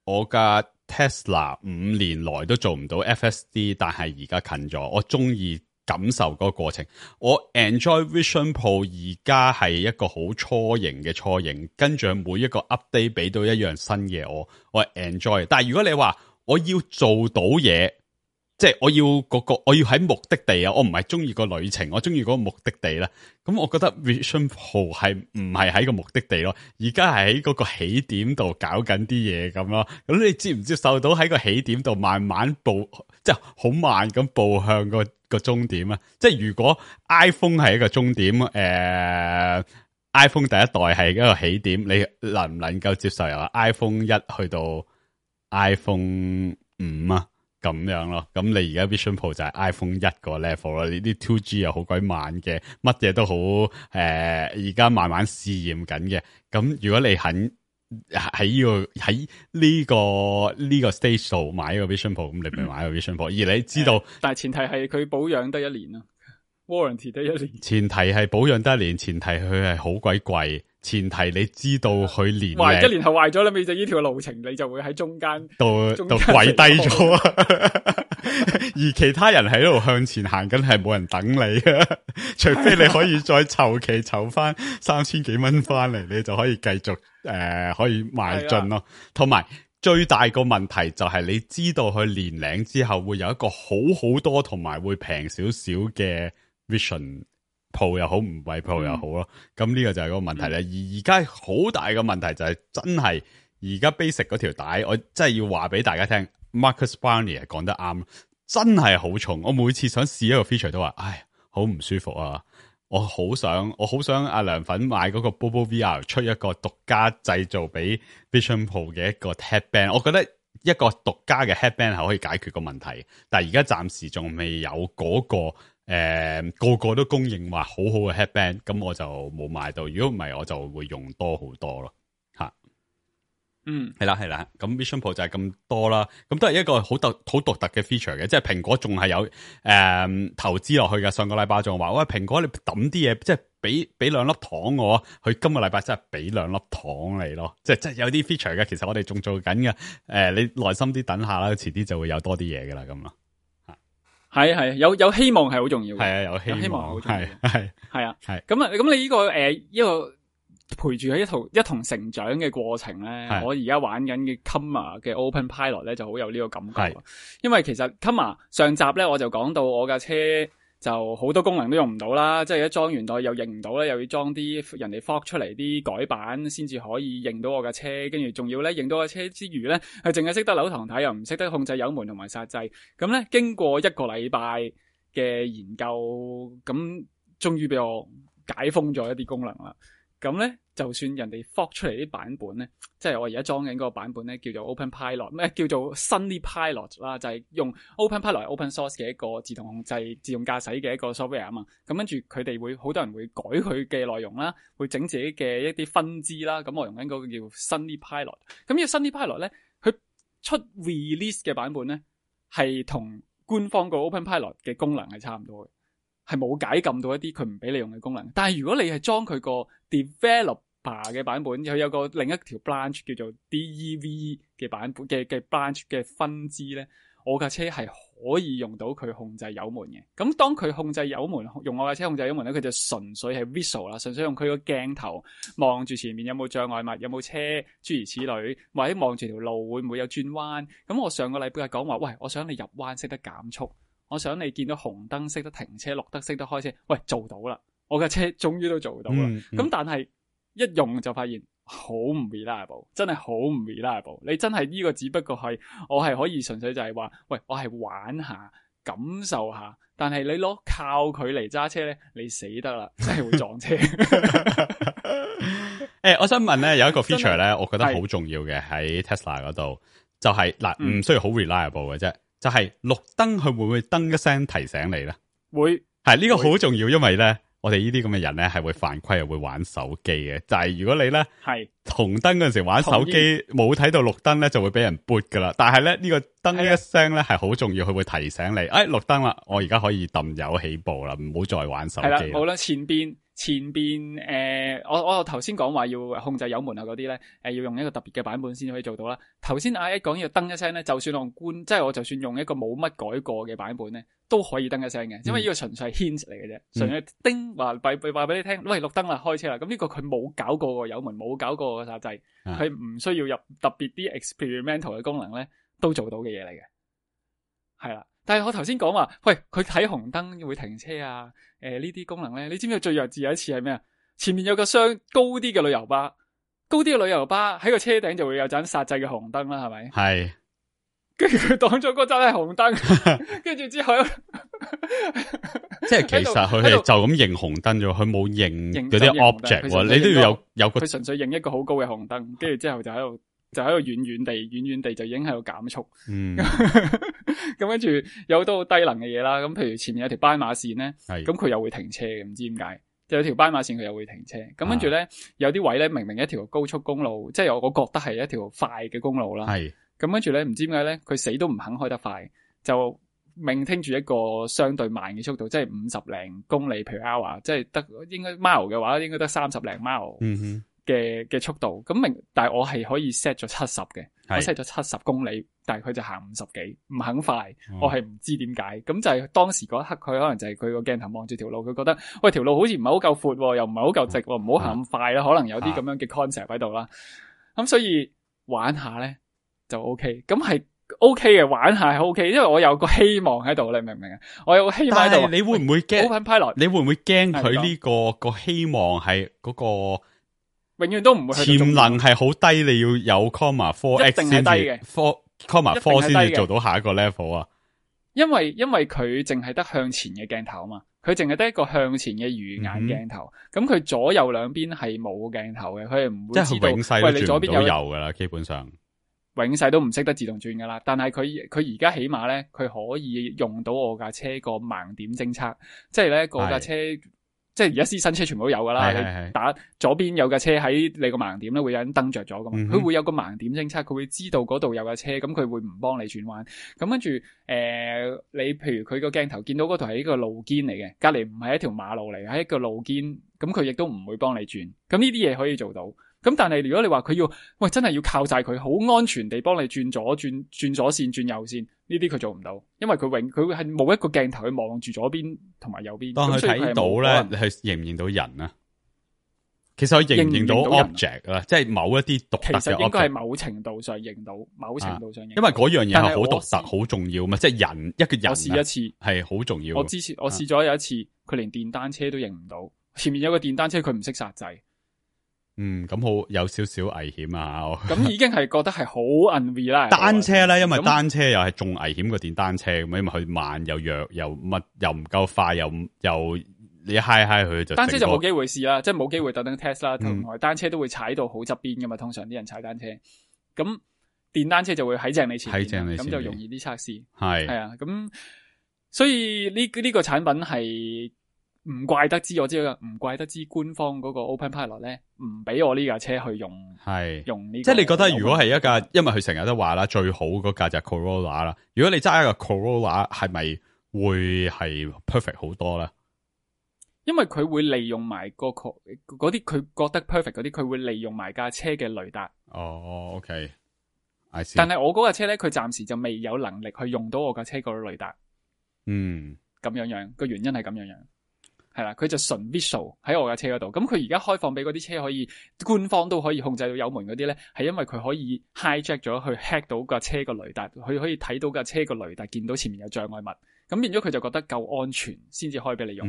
[SPEAKER 5] 我架 Tesla 5年來都做唔到 FSD， 但係而家近咗，我中意感受嗰個過程。我 enjoy Vision Pro 而家係一個好初型嘅初型，跟住每一個 update 俾到一樣新嘅我係 enjoy。但係如果你話我要做到嘢，即係我要我要喺目的地啊，我唔係中意個旅程，我中意嗰個目的地啦。咁我覺得 Vision Pro 係唔係喺個目的地咯，而家係喺嗰個起點度搞緊啲嘢咁咯。咁你接唔接受到喺個起點度慢慢步，即係好慢咁步向個終點啊？即係如果 iPhone 係一個終點，iPhone 第一代係一個起點，你能唔能夠接受由 iPhone 1去到 iPhone 5啊？咁樣咯，咁你而家 Vision Pro 就係 iPhone 1個 level 啦，呢啲 2G 又好鬼慢嘅，乜嘢都好而家慢慢試驗緊嘅。咁如果你肯喺呢個 stage 度買個 Vision Pro，咁你咪買個 Vision Pro。而你知道，
[SPEAKER 1] 但係前提係佢保養得1年啊 ，warranty 得1年。前提
[SPEAKER 5] 係保養得1年，前提佢係好鬼貴。前提你知道佢年
[SPEAKER 1] 1年後壞咗啦，你就呢條路程你就會喺中間
[SPEAKER 5] 度跪低咗啊！而其他人喺度向前行緊，係冇人等你啊！除非你可以再籌翻3000幾蚊翻嚟，你就可以繼續可以邁進咯。同埋最大個問題就係你知道佢年齡之後會有一個好多同埋會平少少嘅 Vision Pro 又好，唔係 Pro 又好咯，咁呢個就係嗰個問題咧。而而家好大嘅問題就係真係而家 basic 嗰條帶，我真係要話俾大家聽 ，Marcus Brownlee 係講得啱，真係好重。我每次想試一個 feature 都話，唉，好唔舒服啊！我好想阿涼粉買嗰個 Bobo VR 出一個獨家製造俾 Vision Pro 嘅一個 headband， 我覺得一個獨家嘅 headband 係可以解決個問題，但係而家暫時仲未有嗰個。個個都公認話好好嘅 headband， 咁我就冇買到。如果唔係，我就會用多好多咯。吓，係啦，咁 Vision Pro 就係咁多啦。咁都係一個好獨特嘅 feature 嘅，即係蘋果仲係有投資落去嘅。上個禮拜仲話，喂，蘋果你抌啲嘢，即係俾2粒糖我，佢今個禮拜真係俾2粒糖你咯。即係有啲 feature 嘅，其實我哋仲做緊嘅。你耐心啲等下啦，遲啲就會有多啲嘢噶啦，咁咯。
[SPEAKER 1] 係有希望係好重要嘅，
[SPEAKER 5] 係啊，有希望好重要，
[SPEAKER 1] 係啊，咁你呢個呢個陪住佢一同成長嘅過程咧，我而家玩緊嘅 Comma 嘅 Open Pilot 咧就好有呢個感覺，因為其實 Comma 上集咧我就講到我架車就好多功能都用唔到啦，即係一裝完袋又認唔到咧，又要裝啲人哋 fork 出嚟啲改版先至可以認到我架車，跟住仲要咧認到架車之餘咧，係淨係識得扭堂睇，又唔識得控制油門同埋煞掣。咁咧經過1個禮拜嘅研究，咁終於俾我解封咗一啲功能啦。咁咧，就算人哋 fork 出嚟啲版本咧，即係我而家裝緊嗰個版本咧，叫做 Open Pilot， 咩叫做 Sunny Pilot 啦，就係用 Open Pilot Open Source 嘅一個自動控制、自動駕駛嘅一個 software 啊嘛。咁跟住佢哋會好多人會改佢嘅內容啦，會整自己嘅一啲分支啦。咁我用緊嗰個叫 Sunny Pilot。咁呢個 Sunny Pilot 咧，佢出 release 嘅版本咧，係同官方個 OpenPilot 嘅功能係差唔多嘅，係冇解禁到一啲佢唔俾你用嘅功能。但係如果你係裝佢個 developer 嘅版本，佢有個另一條 branch 叫做 DEV 嘅版本嘅 branch 嘅分支咧，我架車係可以用到佢控制油門嘅。咁當佢控制油門，用我架車控制油門咧，佢就純粹係 visual 啦，純粹用佢個鏡頭望住前面有冇障礙物，有冇車，諸如此類，或者望住條路會唔會有轉彎。咁我上個禮拜講話，喂，我想你入彎識得減速，我想你見到紅燈識得停車，綠燈識得開車，喂，做到啦，我架車終於都做到啦。咁但係一用就發現好唔 reliable， 真係好唔 reliable。你真係呢個只不過係我係可以純粹就係話，喂，我係玩下感受下，但係你攞靠佢嚟揸車咧，你死得啦，真係會撞車。
[SPEAKER 5] 我想問咧，有一個 feature 咧，我覺得好重要嘅喺 Tesla 嗰度，就係嗱，唔需要好 reliable 嘅啫，就係綠燈佢會唔會噔一聲提醒你咧？會，係呢個好重要，因為咧。我哋呢啲咁嘅人咧，係會犯規又會玩手機嘅。就係如果你咧係紅燈嗰陣時玩手機，冇睇到綠燈咧，就會俾人撥噶啦。但係咧呢個燈一聲咧係好重要，佢會提醒你，綠燈啦，我而家可以揼油起步啦，唔好再玩手機。係啦，好啦，前邊我頭先講話要控制油門啊嗰啲咧，要用一個特別嘅版本先可以做到啦。頭先阿一講要燈一聲咧，就算我即係我就算用一個冇乜改過嘅版本咧，都可以燈一聲嘅，因為呢個純粹係 hint 嚟嘅啫，純粹叮話俾你聽，喂，綠燈啦，開車啦。咁呢個佢冇搞過個油門，冇搞過個煞掣，佢唔需要入特別啲 experimental 嘅功能咧，都做到嘅嘢嚟嘅，係啦。但係我頭先講話，喂，佢睇紅燈會停車啊，呢啲功能咧，你知唔知最弱智有一次係咩啊？前面有個高啲嘅旅遊巴，喺個車頂就會有盞煞掣嘅紅燈啦，係咪？係。跟住佢擋咗嗰盞係紅燈，跟住之後，即係其實佢係就咁認紅燈啫，佢冇認嗰啲 object，你都要有個。佢純粹認一個好高嘅紅燈，跟住之後就喺度遠遠地就已經喺度減速。咁跟住有好多好低能嘅嘢啦，咁譬如前面有條斑馬線咧，咁佢又會停車嘅，唔知點解。就有條斑馬線佢又會停車，咁跟住咧有啲位咧明明一條高速公路，即係我覺得係一條快嘅公路啦。咁跟住咧，唔知點解咧，佢死都唔肯開得快，就maintain住一個相對慢嘅速度，即係50零公里 per hour， 即係得應該 mile 嘅話，應該得30零 mile 嘅速度。咁但係我係可以 set 咗70嘅，我 set 咗70公里，但係佢就行50幾，唔肯快，我係唔知點解。咁就係當時嗰一刻，佢可能就係佢個鏡頭望住條路，佢覺得喂條路好似唔係好夠闊，又唔係好夠直，唔好行咁快啦。可能有啲咁樣嘅 concept 喺度啦。咁所以玩下咧。就 OK， 咁係 OK 嘅，玩下係 OK， 因為我有個希望喺度，你明唔明啊？我有個希望喺度。但係你會唔會驚 OpenPilot？你會唔會驚佢呢個希望係嗰個永遠都唔會去到潛能係好低？你要有 comma 4x 先至 comma 4先至做到下一個 level 啊？因為佢淨係得向前嘅鏡頭啊嘛，佢淨係得一個向前嘅魚眼鏡頭，咁佢左右兩邊係冇鏡頭嘅，佢係唔會知道。即係永世都轉唔到右噶啦，基本上。永世都唔識得自動轉噶啦，但係佢而家起碼咧，佢可以用到我架車個盲點偵測，即係咧個架車，即係而家新車全部都有噶啦。你打左邊有架車喺你個盲點咧，會有盞燈着咗噶嘛，佢會有個盲點偵測，佢會知道嗰度有架車，咁佢會唔幫你轉彎。咁跟住你譬如佢個鏡頭見到嗰度係一個路肩嚟嘅，隔籬唔係一條馬路嚟，係一個路肩，咁佢亦都唔會幫你轉。咁呢啲嘢可以做到。咁但係如果你話佢要，喂，真係要靠晒佢好安全地幫你轉左線、轉右線，呢啲佢做唔到，因為佢係冇一個鏡頭去望住左邊同埋右邊。當佢睇到咧，你係認唔認到人啊？其實佢認唔認到 object 啊？即係某一啲獨特嘅 object。其實應該係某程度上認到，因為嗰樣嘢係好獨特、好重要嘛。即係人一個人，我試一次係好重要。我試咗有一次，佢連電單車都認唔到，前面有個電單車佢唔識煞掣。咁好有少少危險啊！咁已經係覺得係好 unreliable。單車咧，因為單車又係仲危險過電單車咁，因為佢慢又弱又乜又唔夠快又你嗨佢就。單車就冇機會試啦，即係冇機會特登 test 啦。同埋單車都會踩到好側邊噶嘛，通常啲人踩單車。咁電單車就會喺正你前面，咁就容易啲測試。係啊，咁所以呢個產品係
[SPEAKER 1] 唔怪得知，我知道唔怪得知官方嗰個 Open Pilot 咧，唔俾我呢架車去用，
[SPEAKER 5] 係
[SPEAKER 1] 用呢、
[SPEAKER 5] 即係你覺得如果係一架，因為佢成日都話啦，最好嗰架就係 Corolla 啦。如果你揸一個 Corolla，係咪會係 perfect 好多咧？
[SPEAKER 1] 因為佢會利用埋嗰啲佢覺得 perfect 嗰啲，佢會利用埋架車嘅雷達。
[SPEAKER 5] 哦 ，OK，
[SPEAKER 1] 但係我嗰架車咧，佢暫時就未有能力去用到我架車個雷達。
[SPEAKER 5] 嗯，
[SPEAKER 1] 咁樣個原因係咁樣，係啦，佢就純 visual 喺我架車嗰度。咁佢而家開放俾嗰啲車可以官方都可以控制到油門嗰啲咧，係因為佢可以 hijack 咗去 hack 到架車個雷達，佢可以睇到架車個雷達，見到前面有障礙物，咁變咗佢就覺得夠安全先至開俾你用。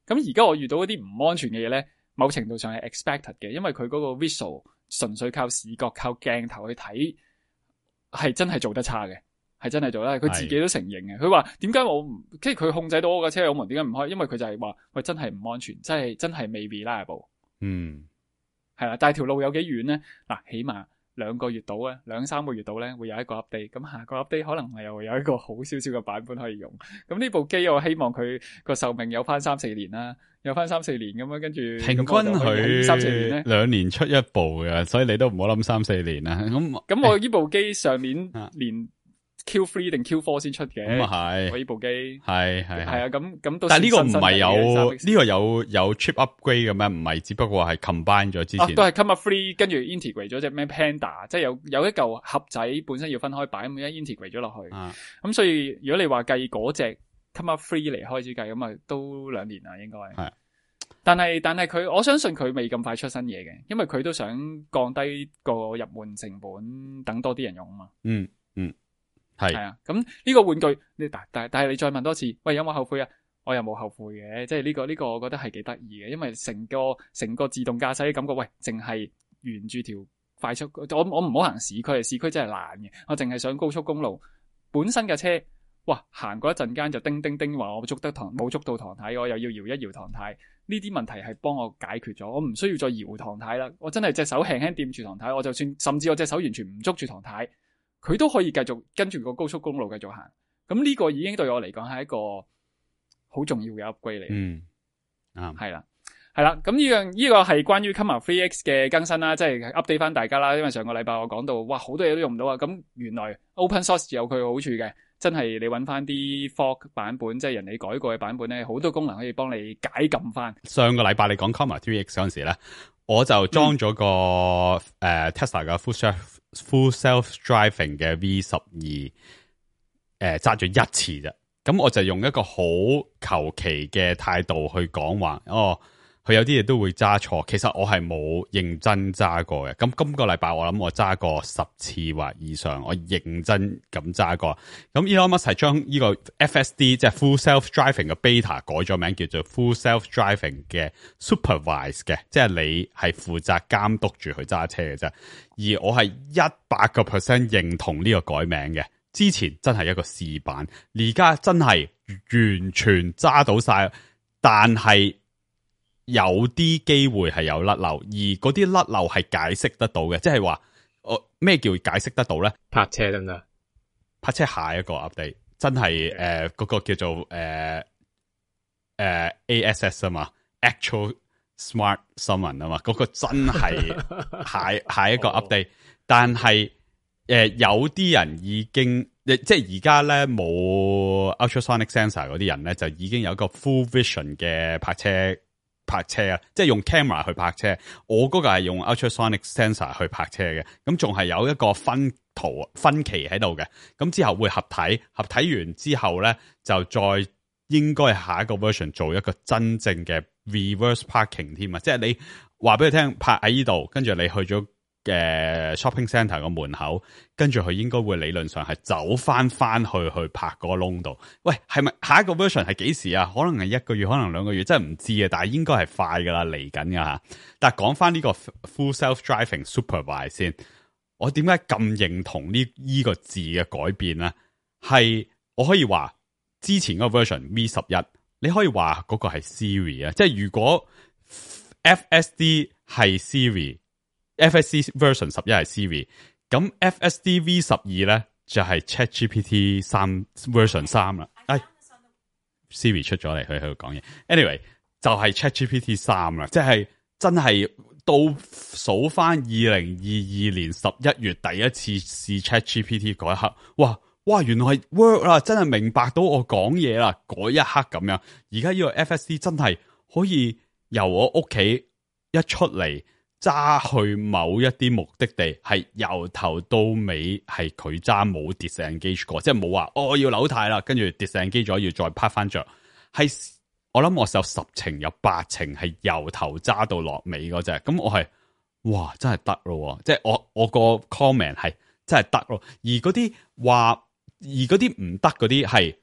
[SPEAKER 1] 咁而家我遇到嗰啲唔安全嘅嘢咧，某程度上係 expected 嘅，因為佢嗰個 visual 純粹靠視覺、靠鏡頭去睇，係真係做得差嘅，係真係做得，佢自己都承認嘅。佢話點解我唔，即係佢控制到我架車油門點解唔開？因為佢就係話喂，真係唔安全，真係未 reliable。係啦，但係條路有幾遠咧？嗱，起碼2個月到啊，2-3個月到咧，會有一個 update。咁下個 update 可能係又會有一個好少少嘅版本可以用。咁呢部機我希望佢個壽命有翻3-4年啦，有翻3-4年咁樣，跟住
[SPEAKER 5] 平均佢
[SPEAKER 1] 3-4年咧
[SPEAKER 5] 2年出一部嘅，所以你都唔好諗3-4年啦。
[SPEAKER 1] 咁我呢部機上年連 Q3 定 Q4 先出嘅，
[SPEAKER 5] 咁啊係，
[SPEAKER 1] 我呢部機
[SPEAKER 5] 係啊，
[SPEAKER 1] 咁到。
[SPEAKER 5] 但係呢個唔係有呢個有 chip upgrade 嘅咩？唔係，只不過係 combine 咗之前。
[SPEAKER 1] 都係 come up free， 跟住 integrate 咗隻咩 Panda， 即係有一嚿盒仔本身要分開擺，咁而家 integrate 咗落去。咁所以如果你話計嗰隻 come up free 嚟開始計，咁啊都2年啦，應該係。但係佢，我相信佢未咁快出新嘢嘅，因為佢都想降低個入門成本，等多啲人用啊嘛。係啊，咁呢個玩具，但係你再問多次，喂，有冇後悔啊？我又冇後悔嘅，即係呢個我覺得係幾得意嘅，因為成個自動駕駛嘅感覺，喂，淨係沿住條快速，我唔好行市區，市區真係爛嘅，我淨係上高速公路，本身嘅車，哇，行過一陣間就叮叮叮話我冇捉到唐太，我又要搖一搖唐太，呢啲問題係幫我解決咗，我唔需要再搖唐太啦，我真係隻手輕輕掂住唐太，我就算甚至我隻手完全唔捉住唐太，佢都可以繼續跟住個高速公路繼續行，咁呢個已經對我嚟講係一個好重要嘅 upgrade 嚟。係啦，咁呢個係關於 Comma 3X 嘅更新啦，即係 update 翻大家啦。因為上個禮拜我講到，哇，好多嘢都用唔到啊。咁原來 open source 有佢嘅好處嘅，真係你揾翻啲 fork 版本，即係人哋改過嘅版本咧，好多功能可以幫你解禁翻。
[SPEAKER 5] 上個禮拜你講 Comma 3X 嗰陣時咧，我就裝咗個Tesla 嘅 full self driving 嘅 V12，揸咗一次啫。咁我就用一個好求其嘅態度去講話，佢有啲嘢都會揸錯，其實我係冇認真揸過嘅。咁今個禮拜我諗我揸過10次或以上，我認真咁揸過。咁 Elon Musk 係將呢個 FSD 即係 Full Self Driving 嘅 beta 改咗名，叫做 Full Self Driving 嘅 Supervise 嘅，即係你係負責監督住佢揸車嘅啫。而我係100% 認同呢個改名嘅。之前真係一個試版，而家真係完全揸到晒，但係有啲機會係有甩漏，而嗰啲甩漏係解釋得到嘅，即係話咩叫解釋得到咧？
[SPEAKER 3] 泊車得唔得？
[SPEAKER 5] 泊車下一個 update 真係嗰個叫做ASS 啊嘛 ，Actual Smart Summon 啊嘛，嗰個真係下一個 update， 但係有啲人已經即係而家咧冇 ultrasonic sensor 嗰啲人咧，就已經有一個 full vision 嘅泊車啊，即係用 camera 去泊車。我嗰個係用 ultrasonic sensor 去泊車嘅，咁仲係有一個分期喺度嘅。咁之後會合體完之後咧，就再應該下一個 version 做一個真正嘅 reverse parking 添啊！即係你話俾佢聽泊喺呢度，跟住你去咗shopping centre 個門口，跟住佢應該會理論上係走翻去泊嗰個窿度。喂，係咪下一個 version 係幾時啊？可能係1個月，可能2個月，真係唔知啊。但係應該係快噶啦，嚟緊噶吓。但係講翻呢個 full self driving supervise 先，我點解咁認同呢個字嘅改變咧？係我可以話之前嗰個 version V11，你可以話嗰個係 Siri 啊，即係如果 FSD 係 Siri。FSD version 11係 Siri， 咁 FSD V12咧就係 ChatGPT 3 version 3啦。Siri 出咗嚟，佢喺度講嘢。Anyway， 就係 ChatGPT 3啦，即係真係倒數翻2022年11月第一次試 ChatGPT 嗰一刻，哇，原來係 work 啦，真係明白到我講嘢啦，嗰一刻咁樣。而家呢個 FSD 真係可以由我屋企一出嚟揸去某一啲目的地，係由頭到尾係佢揸，冇 disengage 過，即係冇話我要扭軚啦，跟住 disengage 咗要再拍翻着。係我諗我有10程有8程係由頭揸到落尾嗰隻，咁我係哇真係得咯，即係我個 comment 係真係得咯。而嗰啲唔得嗰啲係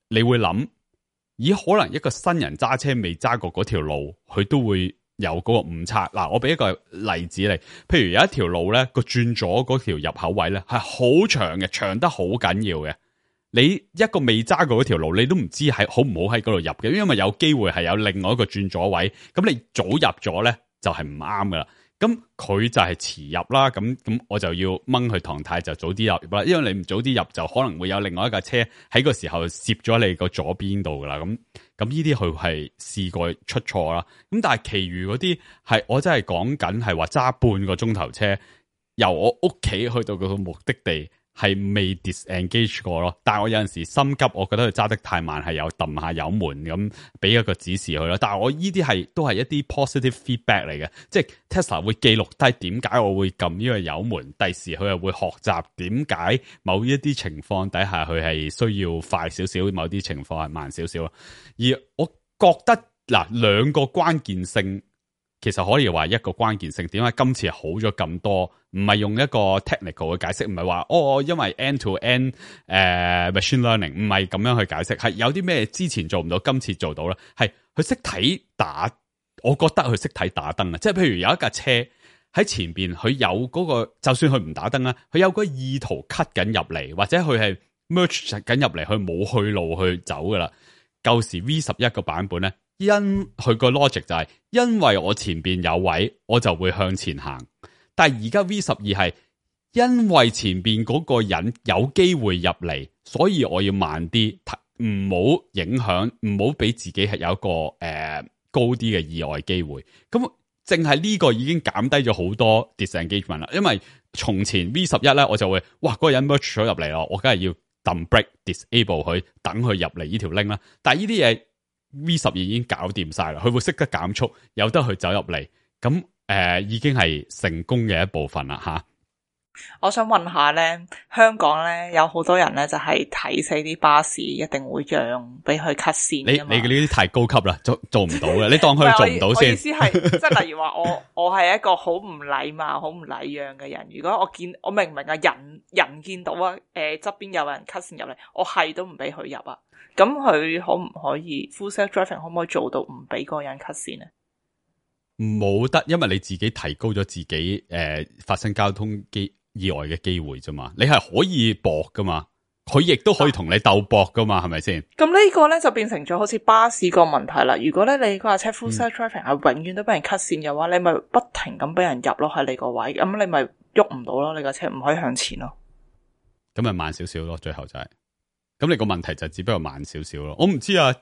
[SPEAKER 5] 你會諗，咦可能一個新人揸車未揸過嗰條路，佢都會有嗰個誤差。嗱，我俾一個例子你，譬如有一條路咧，個轉左嗰條入口位咧係好長嘅，長得好緊要嘅。你一個未揸過嗰條路，你都唔知係好唔好喺嗰度入嘅，因為有機會係有另外一個轉左位，咁你早入咗咧就係唔啱噶啦。咁佢就係遲入啦，咁我就要掹佢唐太就早啲入啦，因為你唔早啲入就可能會有另外一架車喺個時候攝咗你個左邊度噶啦，咁呢啲佢係試過出錯啦。咁但係其餘嗰啲係我真係講緊係話揸半個鐘頭車由我屋企去到嗰個目的地。係未 disengage 過咯，但係我有陣時心急，我覺得佢揸得太慢，係有揼下油門咁，俾一個指示佢咯。但係我呢啲都係一啲 positive feedback 嚟嘅，即係 Tesla 會記錄低點解我會撳呢個油門，第時佢又會學習點解某一啲情況底下佢係需要快少少，某啲情況係慢少少。而我覺得兩個關鍵性。其實可以話一個關鍵性，點解今次好咗咁多？唔係用一個 technical 嘅解釋，唔係話因為 end to end machine learning， 唔係咁樣去解釋，係有啲咩之前做唔到，今次做到啦。係佢識睇打，我覺得佢識睇打燈啊！即係譬如有一架車喺前邊，佢有嗰個，就算佢唔打燈啦，佢有個意圖 cut 緊入嚟，或者佢係 merge 緊入嚟，佢冇去路去走噶啦。舊時 V11個版本咧。因佢個 logic 就係因為我前邊有位，我就會向前行。但係而家 V12 係因為前邊嗰個人有機會入嚟，所以我要慢啲，唔好影響，唔好俾自己係有一個高啲嘅意外機會。咁淨係呢個已經減低咗好多 disengagement 啦。因為從前 V11 咧，我就會嗰個人 merge 咗入嚟咯，我梗係要撳 break disable 佢，等佢入嚟呢條 link 啦。但係呢啲嘢。V12 已經搞掂晒啦，佢會識得減速，由得佢走入嚟，咁已經係成功嘅一部分啦吓。
[SPEAKER 4] 我想問下咧，香港咧有好多人咧就係睇死啲巴士一定會讓俾佢 cut 線。你
[SPEAKER 5] 呢啲太高級啦，做唔到嘅，你當佢做唔到先。
[SPEAKER 4] 我意思係，即係例如話我係一個好唔禮貌、好唔禮讓嘅人。如果我明唔明啊？人見到啊，側邊有人 cut 線入嚟，我係都唔俾佢入啊。咁佢可唔可以 full self driving 可唔可以做到唔俾嗰個人 cut 線咧？
[SPEAKER 5] 冇得，因為你自己提高咗自己發生交通意外嘅機會啫嘛。你係可以搏噶嘛，佢亦都可以同你鬥搏噶嘛，係咪先？咁
[SPEAKER 4] 呢個咧就變成咗好似巴士個問題啦。如果咧你嗰架車 full self driving 係永遠都俾人 cut 線嘅話，你咪不停咁俾人入咯喺你個位，咁你咪喐唔到咯，你架車唔可以向前咯。
[SPEAKER 5] 咁咪慢少少咯，最後就係。咁你個問題就只不過慢少少咯，我唔知啊，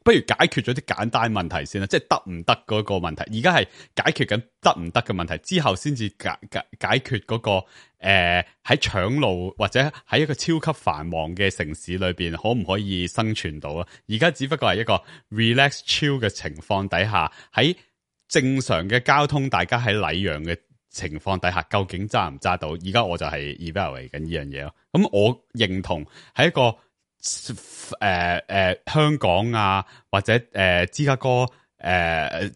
[SPEAKER 5] 不如解決咗啲簡單問題先啦，即係得唔得嗰個問題，而家係解決緊得唔得嘅問題，之後先至解決嗰個喺搶路或者喺一個超級繁忙嘅城市裏邊可唔可以生存到啊？而家只不過係一個 relax chill 嘅情況底下，喺正常嘅交通，大家喺禮讓嘅情況底下，究竟揸唔揸到？而家我就係 evaluate 緊呢樣嘢咯。咁我認同喺一個香港啊，或者芝加哥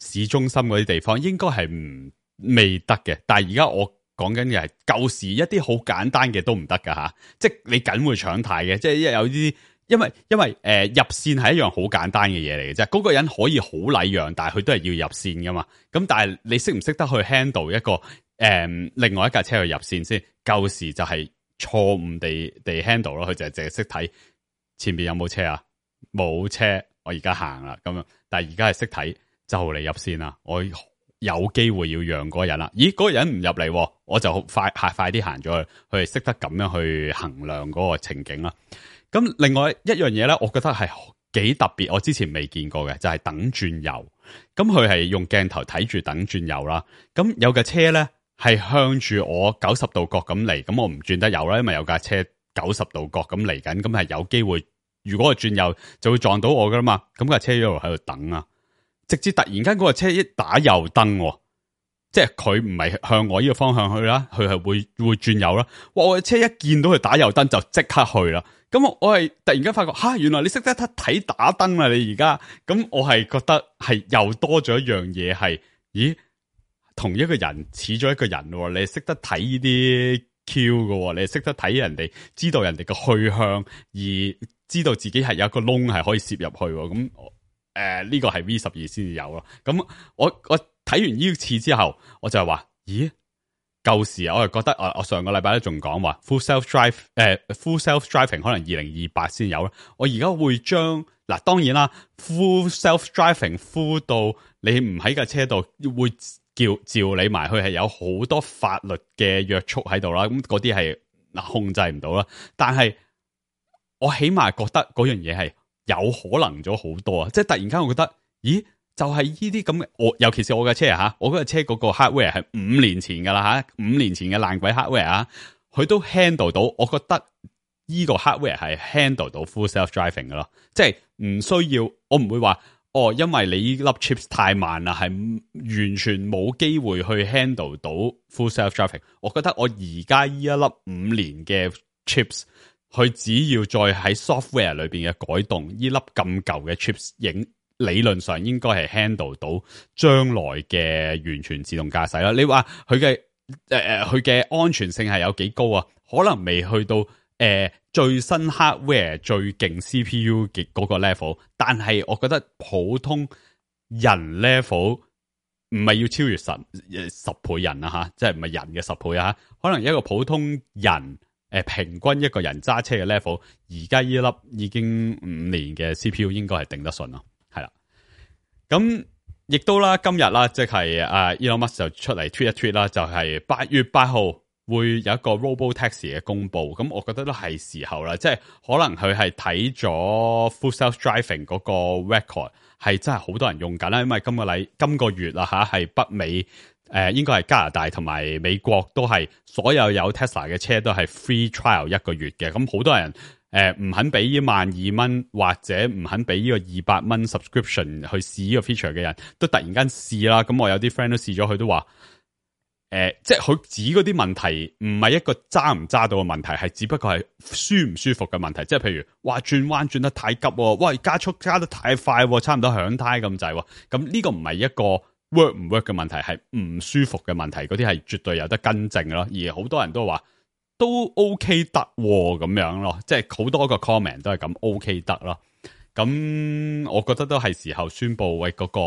[SPEAKER 5] 市中心嗰啲地方，應該係未得嘅。但係而家我講緊嘅係舊時一啲好簡單嘅都唔得噶吓，即係你梗會搶軚嘅，即係有啲因為入線係一樣好簡單嘅嘢嚟嘅啫。嗰個人可以好禮讓，但係佢都係要入線噶嘛。咁但係你識唔識得去 handle 一個另外一架車去入線先？舊時就係錯誤地 handle 咯，佢就係淨係識睇前面有冇車啊，冇車，我而家行啦咁樣。但係而家係識睇就嚟入線啦，我有機會要讓嗰個人啦。咦，嗰個人唔入嚟，我就快啲行咗去，佢係識得咁樣去衡量嗰個情景啦。咁另外一樣嘢咧，我覺得係幾特別，我之前未見過嘅就係等轉右。咁佢係用鏡頭睇住等轉右啦。咁有架車咧係向住我90度角咁嚟，咁我唔轉得右啦，因為有架車90度角咁嚟緊，咁係有機會，如果我轉右就會撞到我噶啦嘛。咁架車一路喺度等啊，直至突然間嗰個車一打右燈，即係佢唔係向我呢個方向去啦，佢係會轉右啦。哇！我嘅車一見到佢打右燈就即刻去啦。咁我係突然間發覺，原來你識得睇打燈啊！你而家咁，我係覺得係又多咗一樣嘢，係咦，同一個人似咗一個人喎。你識得睇呢啲 Q 嘅，你識得睇人哋，知道人哋嘅去向，而知道自己係有一個窿係可以攝入去。咁呢個係 V12先至有咯。咁我睇完呢次之後，我就係話，咦？舊時我係覺得，我上個禮拜都仲講話 full self driving 可能2028先有啦。我而家會將嗱，當然啦 ，full self driving full 到你唔喺架車度，會召你埋去，係有好多法律嘅約束喺度啦。咁嗰啲係控制唔到啦。但係我起碼覺得嗰樣嘢係有可能咗好多啊！即係突然間我覺得，咦？就係呢啲咁嘅，尤其是我嘅車啊，我嗰架車嗰個 hardware 係5年前噶啦5年前嘅爛鬼 hardware 啊，佢都 handle 到，我覺得呢個 hardware 係 handle 到 full self driving 噶咯，即係唔需要，我唔會話因為你呢粒 chips 太慢啦，係完全冇機會去 handle 到 full self driving。我覺得我而家呢一粒5年嘅 chips， 佢只要再喺 software 裏邊嘅改動，呢粒咁舊嘅 chips 理論上應該係 handle 到將來嘅完全自動駕駛啦。你話佢嘅安全性係有幾高啊？可能未去到最新 hardware 最勁 CPU 嘅嗰個 level， 但係我覺得普通人 level 唔係要超越十倍人啊吓，即係唔係人嘅10倍啊，可能一個普通人平均一個人揸車嘅 level， 而家呢粒已經5年嘅 CPU 應該係頂得順咯。係啦，咁亦都啦，今日啦，即係Elon Musk 就出嚟 tweet 一 tweet 啦，就係8月8號會有一個 Robotaxi 嘅公布，咁我覺得都係時候啦，即係可能佢係睇咗 Full Self Driving 嗰個 record 係真係好多人用緊啦，因為今個月啦吓係北美應該係加拿大同埋美國都係所有 Tesla 嘅車都係 free trial 1個月嘅，咁好多人。唔肯俾呢12,000或者唔肯俾呢個200蚊 subscription 去試呢個 feature 嘅人都突然間試啦，咁我有啲 friend 都試咗，佢都話，即係佢指嗰啲問題唔係一個揸唔揸到嘅問題，係只不過係舒唔舒服嘅問題，即係譬如哇轉彎轉得太急，喂加速加得太快，差唔多響胎咁滯，咁呢個唔係一個 work 唔 work 嘅問題，係唔舒服嘅問題，嗰啲係絕對有得更正咯，而好多人都話。都 OK 得咁樣咯，即係好多個 comment 都係咁 OK 得咯。咁我覺得都係時候宣布喂嗰個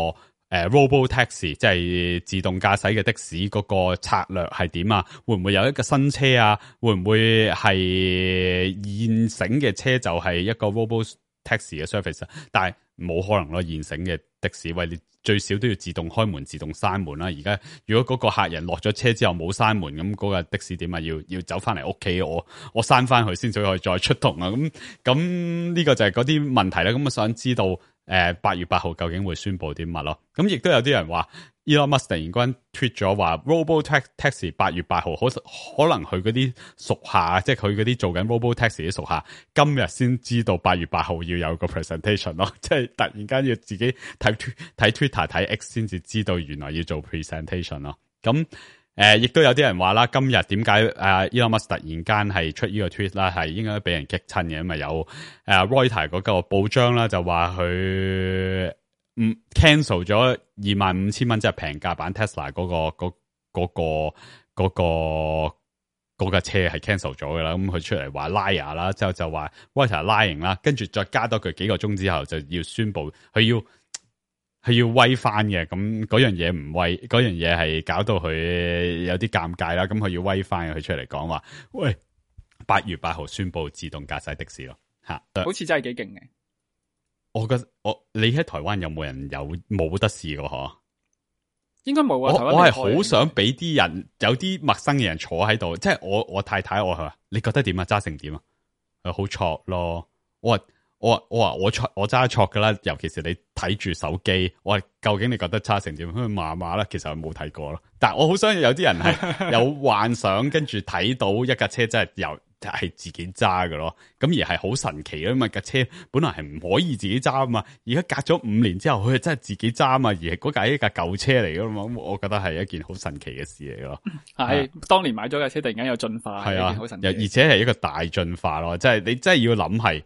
[SPEAKER 5] Robotaxi， 即係自動駕駛嘅的士嗰個策略係點啊？會唔會有一個新車啊？會唔會係現成嘅車就係一個 Robotaxi 嘅 service 啊？但係冇可能咯，現成嘅的士喂你。最少都要自動開門、自動閂門啦。而家如果嗰個客人落咗車之後冇閂門，咁嗰個的士點啊？要走翻嚟屋企，我閂翻佢先，至可以再出動啊。咁呢個就係嗰啲問題啦。咁我想知道8月8號究竟會宣布啲乜咯？咁亦都有啲人話 Elon Musk 突然間 tweet 咗話 Robotaxi 8月8號可能佢嗰啲屬下，即係佢嗰啲做緊 Robotaxi 啲屬下，今日先知道8月8號要有個 presentation 咯，即係突然間要自己睇 Twitter 睇 X 先至知道原來要做 presentation 咯。咁亦都有啲人話啦，今日點解Elon Musk 突然間係出呢個 tweet 啦，係應該俾人激親嘅，因為有Reuters 嗰個報章啦，就話佢cancel 咗25,000蚊，即係平價版 Tesla 嗰架車係 cancel 咗噶啦。咁佢出嚟話 liar 啦，之後就話 Reuters lying 啦，跟住再加多佢幾個鐘之後就要宣布佢要威翻嘅。咁嗰樣嘢唔威，嗰樣嘢係搞到佢有啲尷尬啦。咁佢要威翻，佢出嚟講話，喂，8月8號宣布自動駕駛的士咯，吓，
[SPEAKER 1] 好似真係幾勁嘅。
[SPEAKER 5] 我覺得你喺台灣有冇人冇得試過嗬？
[SPEAKER 1] 應該冇啊。
[SPEAKER 5] 我係好想俾啲人有啲陌生嘅人坐喺度，即係我太太我話你覺得點啊？揸成點啊？好挫咯！我我揸錯噶啦，尤其是你睇住手機，我話究竟你覺得差成點？麻麻啦，其實我冇睇過咯。但係我好相信有啲人係有幻想，跟住睇到一架車真係係自己揸嘅咯。咁而係好神奇啊嘛！架車本來係唔可以自己揸啊嘛，而家隔咗5年之後，佢係真係自己揸啊嘛。而係嗰架一架舊車嚟噶嘛，我覺得係一件好神奇嘅事嚟咯。
[SPEAKER 1] 係當年買咗架車，突然間有進化，係啊，好神奇。
[SPEAKER 5] 而且係一個大進化咯，即係你真係要諗係。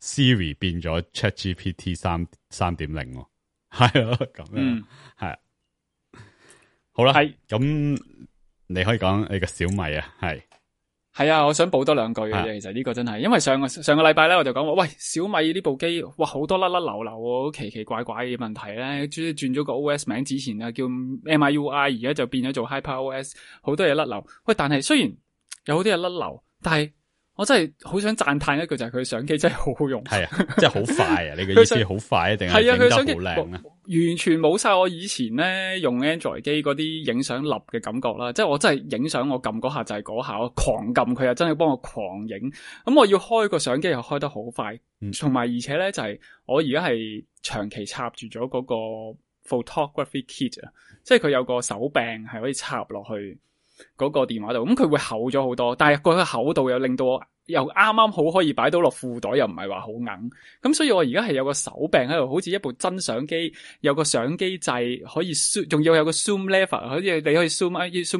[SPEAKER 5] Siri 變咗 ChatGPT 3.0，係咯咁樣，係好啦，咁你可以講你個小米啊，
[SPEAKER 1] 係啊，我想補多2句嘅啫。其實呢個真係，因為上個禮拜咧，我就講話，喂，小米呢部機，哇，好多甩甩流流喎，奇奇怪怪嘅問題咧，轉咗個 OS 名，之前啊叫 MIUI， 而家就變咗做 HyperOS， 好多嘢甩流。喂，但係雖然有好多嘢甩流，但係我真係好想讚嘆一句，就係佢相機真係好好用，
[SPEAKER 5] 係啊，即係好快啊！你嘅意思好快定係影得好靚啊？
[SPEAKER 1] 完全冇晒我以前咧用 Android 機嗰啲影相立嘅感覺啦，即係我真係影相我撳嗰下就係嗰下，我狂撳佢又真係幫我狂影。咁我要開個相機又開得好快，同埋而且咧就係我而家係長期插住咗嗰個 photography kit 啊，即係佢有個手柄係可以插落去嗰個電話度，咁佢會厚咗好多，但係個厚度又令到我又啱啱好可以擺到落褲袋，又唔係話好硬，咁所以我而家係有個手柄喺度，好似一部真相機，有個相機掣可以 zoom， 仲要有個 zoom lever， 好似你可以 zoom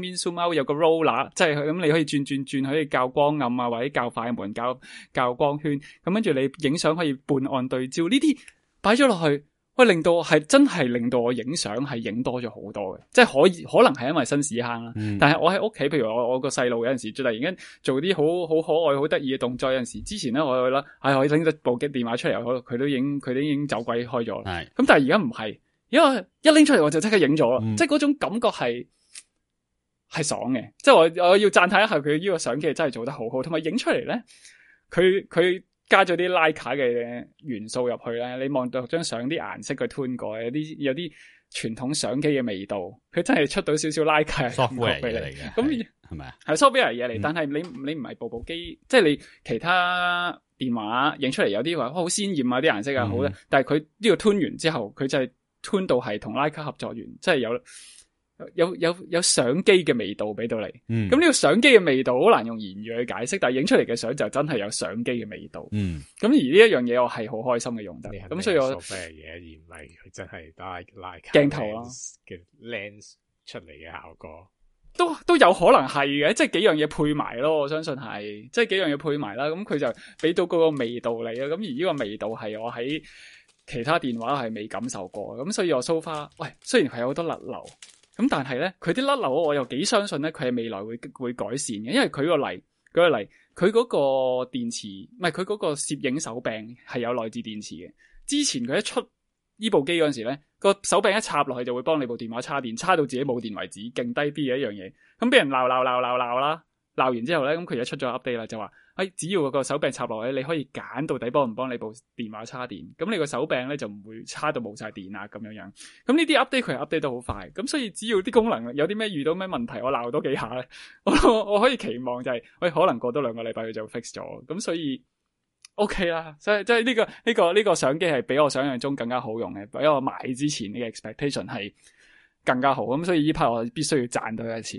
[SPEAKER 1] in zoom out， 有個 roller， 即係咁你可以轉可以校光暗啊，或者校快門、校光圈，咁跟住你影相可以半按對焦，呢啲擺咗落去。喂，令到真係令到我影相係影多咗好多嘅，即係可能係因為新屎坑啦。但係我喺屋企，譬如我個細路有陣時突然間做啲好可愛、好得意嘅動作，有陣時之前咧我啦，我拎咗部電話出嚟，佢都已經走鬼開咗啦。咁但係而家唔係，因為一拎出嚟我就即刻影咗啦，即係嗰種感覺係爽嘅。即係我要讚嘆一下佢呢個相機真係做得好好，同埋影出嚟咧，佢加咗啲徠卡嘅元素入去咧，你望到張相啲顏色佢 tune 過，有啲傳統相機嘅味道，佢真係出到少少徠卡嘅感覺俾你。咁係咪啊？係 software 嘢嚟，但係你唔係部機，即係你其他電話影出嚟有啲話好鮮豔啊，啲顏色啊好咧，但係佢呢個 tune 完之後，佢就係 tune 到係同徠卡合作完，即係有相機嘅味道俾到你，咁呢個相機嘅味道好難用言語去解釋，但係影出嚟嘅相就真係有相機嘅味道。咁而呢一樣嘢我係好開心嘅用得，咁所以我
[SPEAKER 3] 做咩嘢而唔係佢真係拉
[SPEAKER 1] 鏡頭啊
[SPEAKER 3] 嘅 lens 出嚟嘅效果，
[SPEAKER 1] 都有可能係嘅，即係幾樣嘢配埋咯，我相信係，即係幾樣嘢配埋啦，咁佢就俾到嗰個味道嚟啦。咁而呢個味道係我喺其他電話係未感受過，咁所以我 so far，喂，雖然係有好多甩流。咁但係咧，佢啲甩流我又幾相信咧，佢係未來會改善嘅，因為舉個例，佢嗰個電池唔係佢嗰個攝影手柄係有內置電池嘅。之前佢一出呢部機嗰陣時咧，個手柄一插落去就會幫你部電話叉電，叉到自己冇電為止，勁低 B 嘅一樣嘢。咁俾人鬧啦，鬧完之後咧，咁佢而家出咗 update 啦，就話，只要個手柄插落去，你可以揀到底幫唔幫你部電話叉電，咁你個手柄咧就唔會叉到冇晒電啊咁樣樣。咁呢啲 update 佢係 update 得好快，咁所以只要啲功能有啲咩遇到咩問題，我鬧多幾下咧，我可以期望就係，可能過多2個禮拜佢就 fix 咗，咁所以 OK 啦。所以即係呢個相機係比我想象中更加好用嘅，比我買之前嘅 expectation 係更加好，咁所以呢 part 我必須要讚多一次。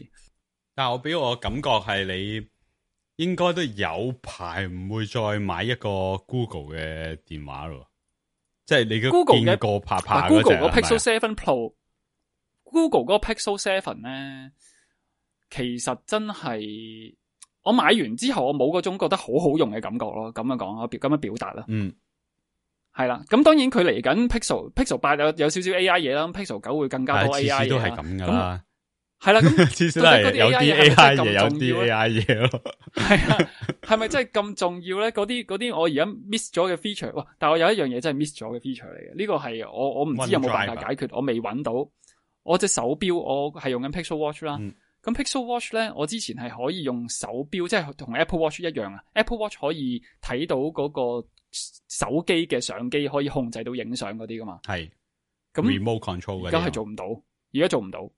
[SPEAKER 5] 但係我俾我感覺係你應該都有排唔會再買一個 Google 嘅電話咯，即係你都見過拍嗰隻
[SPEAKER 1] Google 嗰 Pixel 7 Pro，Google 嗰個 Pixel 7咧，其實真係我買完之後，我冇嗰種覺得好好用嘅感覺咯。咁樣講，我咁樣表達啦。係啦。咁當然佢嚟緊 Pixel 8有少少 AI 嘢啦，Pixel 9會更加多 AI 嘢啦。次次都係咁噶啦。係啦，咁
[SPEAKER 5] 次次都係有啲 AI 嘢，有啲 AI 嘢咯。
[SPEAKER 1] 係啊，係咪真係咁重要咧？嗰啲我而家 miss 咗嘅 feature， 哇！但係我有一樣嘢真係 miss 咗嘅 feature 嚟嘅。呢個係我唔知有冇辦法解決，我未揾到。我隻手錶我係用緊 Pixel Watch 啦。咁 Pixel Watch 咧，我之前係可以用手錶，即係同 Apple Watch 一樣啊。Apple Watch 可以睇到嗰個手機嘅相機，可以控制到影相嗰啲噶嘛。係。咁
[SPEAKER 5] remote control 嗰啲。
[SPEAKER 1] 而家係做唔到，而家做唔到。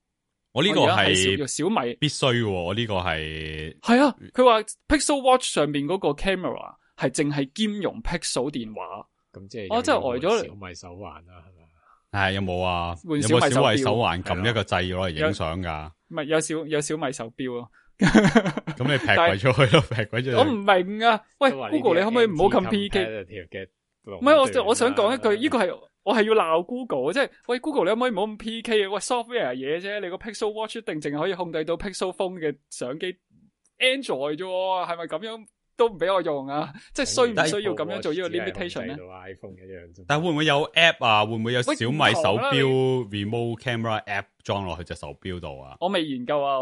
[SPEAKER 5] 我呢個係
[SPEAKER 1] 小米
[SPEAKER 5] 必須喎，我呢個係
[SPEAKER 1] 啊，佢話 Pixel Watch 上邊嗰個 camera 係淨係兼容 Pixel 電話。
[SPEAKER 3] 咁即係
[SPEAKER 1] 我真係呆咗。
[SPEAKER 3] 小米手環啦，係咪？
[SPEAKER 5] 係有冇啊？
[SPEAKER 1] 換
[SPEAKER 5] 有冇小米手
[SPEAKER 1] 環？
[SPEAKER 5] 環撳一個掣攞嚟影相噶？
[SPEAKER 1] 唔係有小米手錶咯。
[SPEAKER 5] 咁你劈鬼咗去咯，劈鬼咗。
[SPEAKER 1] 我唔明啊！喂 ，Google 你可唔可以唔好撳 PK？ 唔係我想講一句，呢個係我係要鬧 Google， 即係喂 Google 你可唔可以唔好咁 PK 啊？喂 software 嘢啫，你個 Pixel Watch 一定淨係可以控制到 Pixel Phone 嘅相機 Android 啫，係咪咁樣？都唔俾我用啊！即係需唔需要咁樣做呢個 limitation 咧
[SPEAKER 3] ？iPhone 一樣，
[SPEAKER 5] 但會唔會有 app 啊？會唔會有小米手錶 remote camera app 裝落去隻手錶度啊？
[SPEAKER 1] 我未研究啊，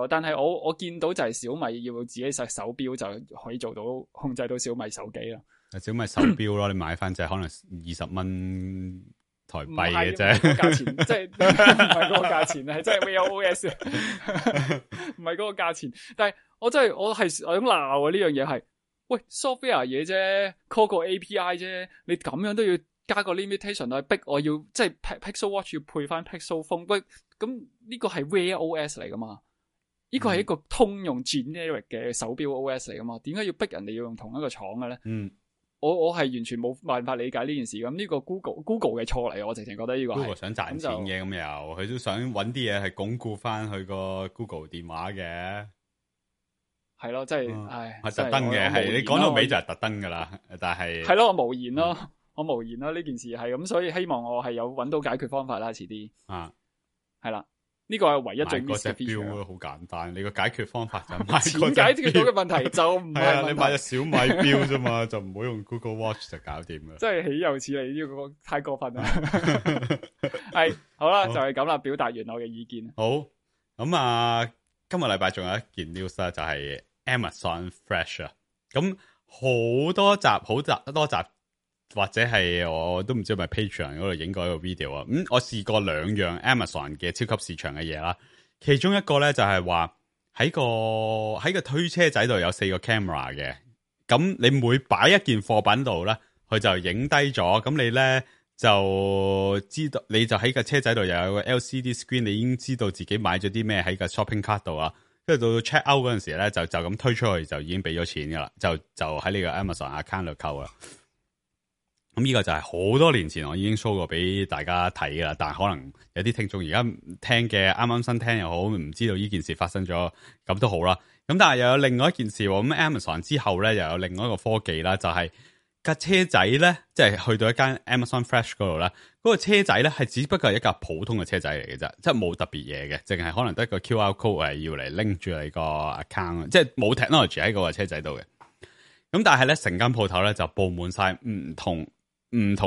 [SPEAKER 1] 但係我見到就係小米要自己實手錶就可以做到控制到小米手機啦。
[SPEAKER 5] 小米手錶咯，你買翻隻可能20蚊台幣嘅啫，
[SPEAKER 1] 價錢即係唔係嗰個價錢，係真係 Wear OS， 唔係嗰個價錢。但係我真係我想鬧啊！呢樣嘢係喂 software 嘢啫 ，call 個 API 啫，你咁樣都要加個 limitation 去逼我要即係 Pixel Watch 要配翻 Pixel Phone， 喂咁呢個係 Wear OS 嚟噶嘛？呢個係一個通用 generic 嘅手錶 OS 嚟噶嘛？點解要逼人哋要用同一個廠嘅咧？我係完全冇辦法理解呢件事咁，呢個 Google 嘅錯嚟，我直情覺得呢個係
[SPEAKER 5] Google 想賺錢嘅，咁又佢都想揾啲嘢係鞏固翻佢個 Google 電話嘅，
[SPEAKER 1] 係咯，即係唉，
[SPEAKER 5] 係特登嘅，係你講到尾就係特登噶啦，但係
[SPEAKER 1] 係咯，我無言咯，我無言咯，呢件事係咁，所以希望我係有揾到解決方法啦，遲啲係啦。呢個係唯一最 miss 嘅 feature。
[SPEAKER 5] 好簡單，你個解決方法就買
[SPEAKER 1] 錢解決到嘅問題就唔係
[SPEAKER 5] 你買隻小米錶啫嘛，就唔好用 Google Watch 就搞掂啦。
[SPEAKER 1] 真係豈有此理，呢個太過分啦。係好啦，就係咁啦，表達完我嘅意見。
[SPEAKER 5] 好咁啊，今日禮拜仲有一件 news 啦，就係 Amazon Fresh 啊。咁好多集。或者係我都唔知係咪 Patreon 嗰度影過一個 video 啊，我試過2樣 Amazon 嘅超級市場嘅嘢啦，其中一個咧就係話喺個推車仔度有4個 camera 嘅，咁你每擺一件貨品度咧，佢就影低咗，咁你咧就知道，你就喺個車仔度又有個 LCD screen， 你已經知道自己買咗啲咩喺個 shopping cart 度啊，跟住到 check out 嗰陣時咧就咁推出去就已經俾咗錢噶啦，就喺呢個 Amazon account 度扣啦。咁呢個就係好多年前我已經 show 過俾大家睇噶啦，但係可能有啲聽眾而家聽嘅啱啱新聽又好，唔知道呢件事發生咗，咁都好啦。咁但係又有另外一件事喎，咁 Amazon 之後咧又有另外一個科技啦，就係架車仔咧，即係去到一間 Amazon Fresh 嗰度咧，嗰個車仔咧係只不過係一架普通嘅車仔嚟嘅啫，即係冇特別嘢嘅，淨係可能得個 QR code 係要嚟拎住你個 account， 即係冇 technology 喺嗰個車仔度嘅。咁但係咧成間鋪頭咧就佈滿晒唔同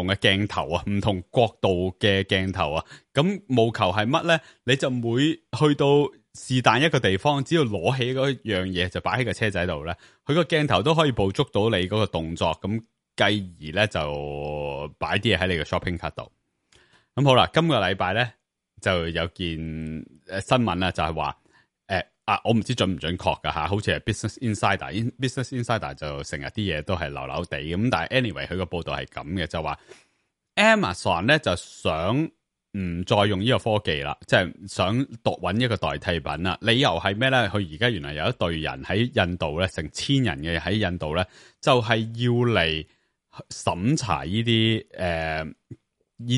[SPEAKER 5] 嘅鏡頭啊，唔同角度嘅鏡頭啊，咁務求係乜咧？你就每去到是但一個地方，只要攞起嗰樣嘢就擺喺個車仔度咧，佢個鏡頭都可以捕捉到你嗰個動作，咁繼而咧就擺啲嘢喺你嘅 shopping cart 度。咁好啦，今個禮拜咧就有件新聞啦，就係話我唔知準唔準確噶吓，好似係 Business Insider 就成日啲嘢都係流流地咁，但係 anyway 佢個報道係咁嘅，就話 Amazon 咧就想唔再用呢個科技啦，即係想揾一個代替品啦。理由係咩咧？佢而家原來有一隊人喺印度咧，成1000人嘅喺印度咧，就係要嚟審查呢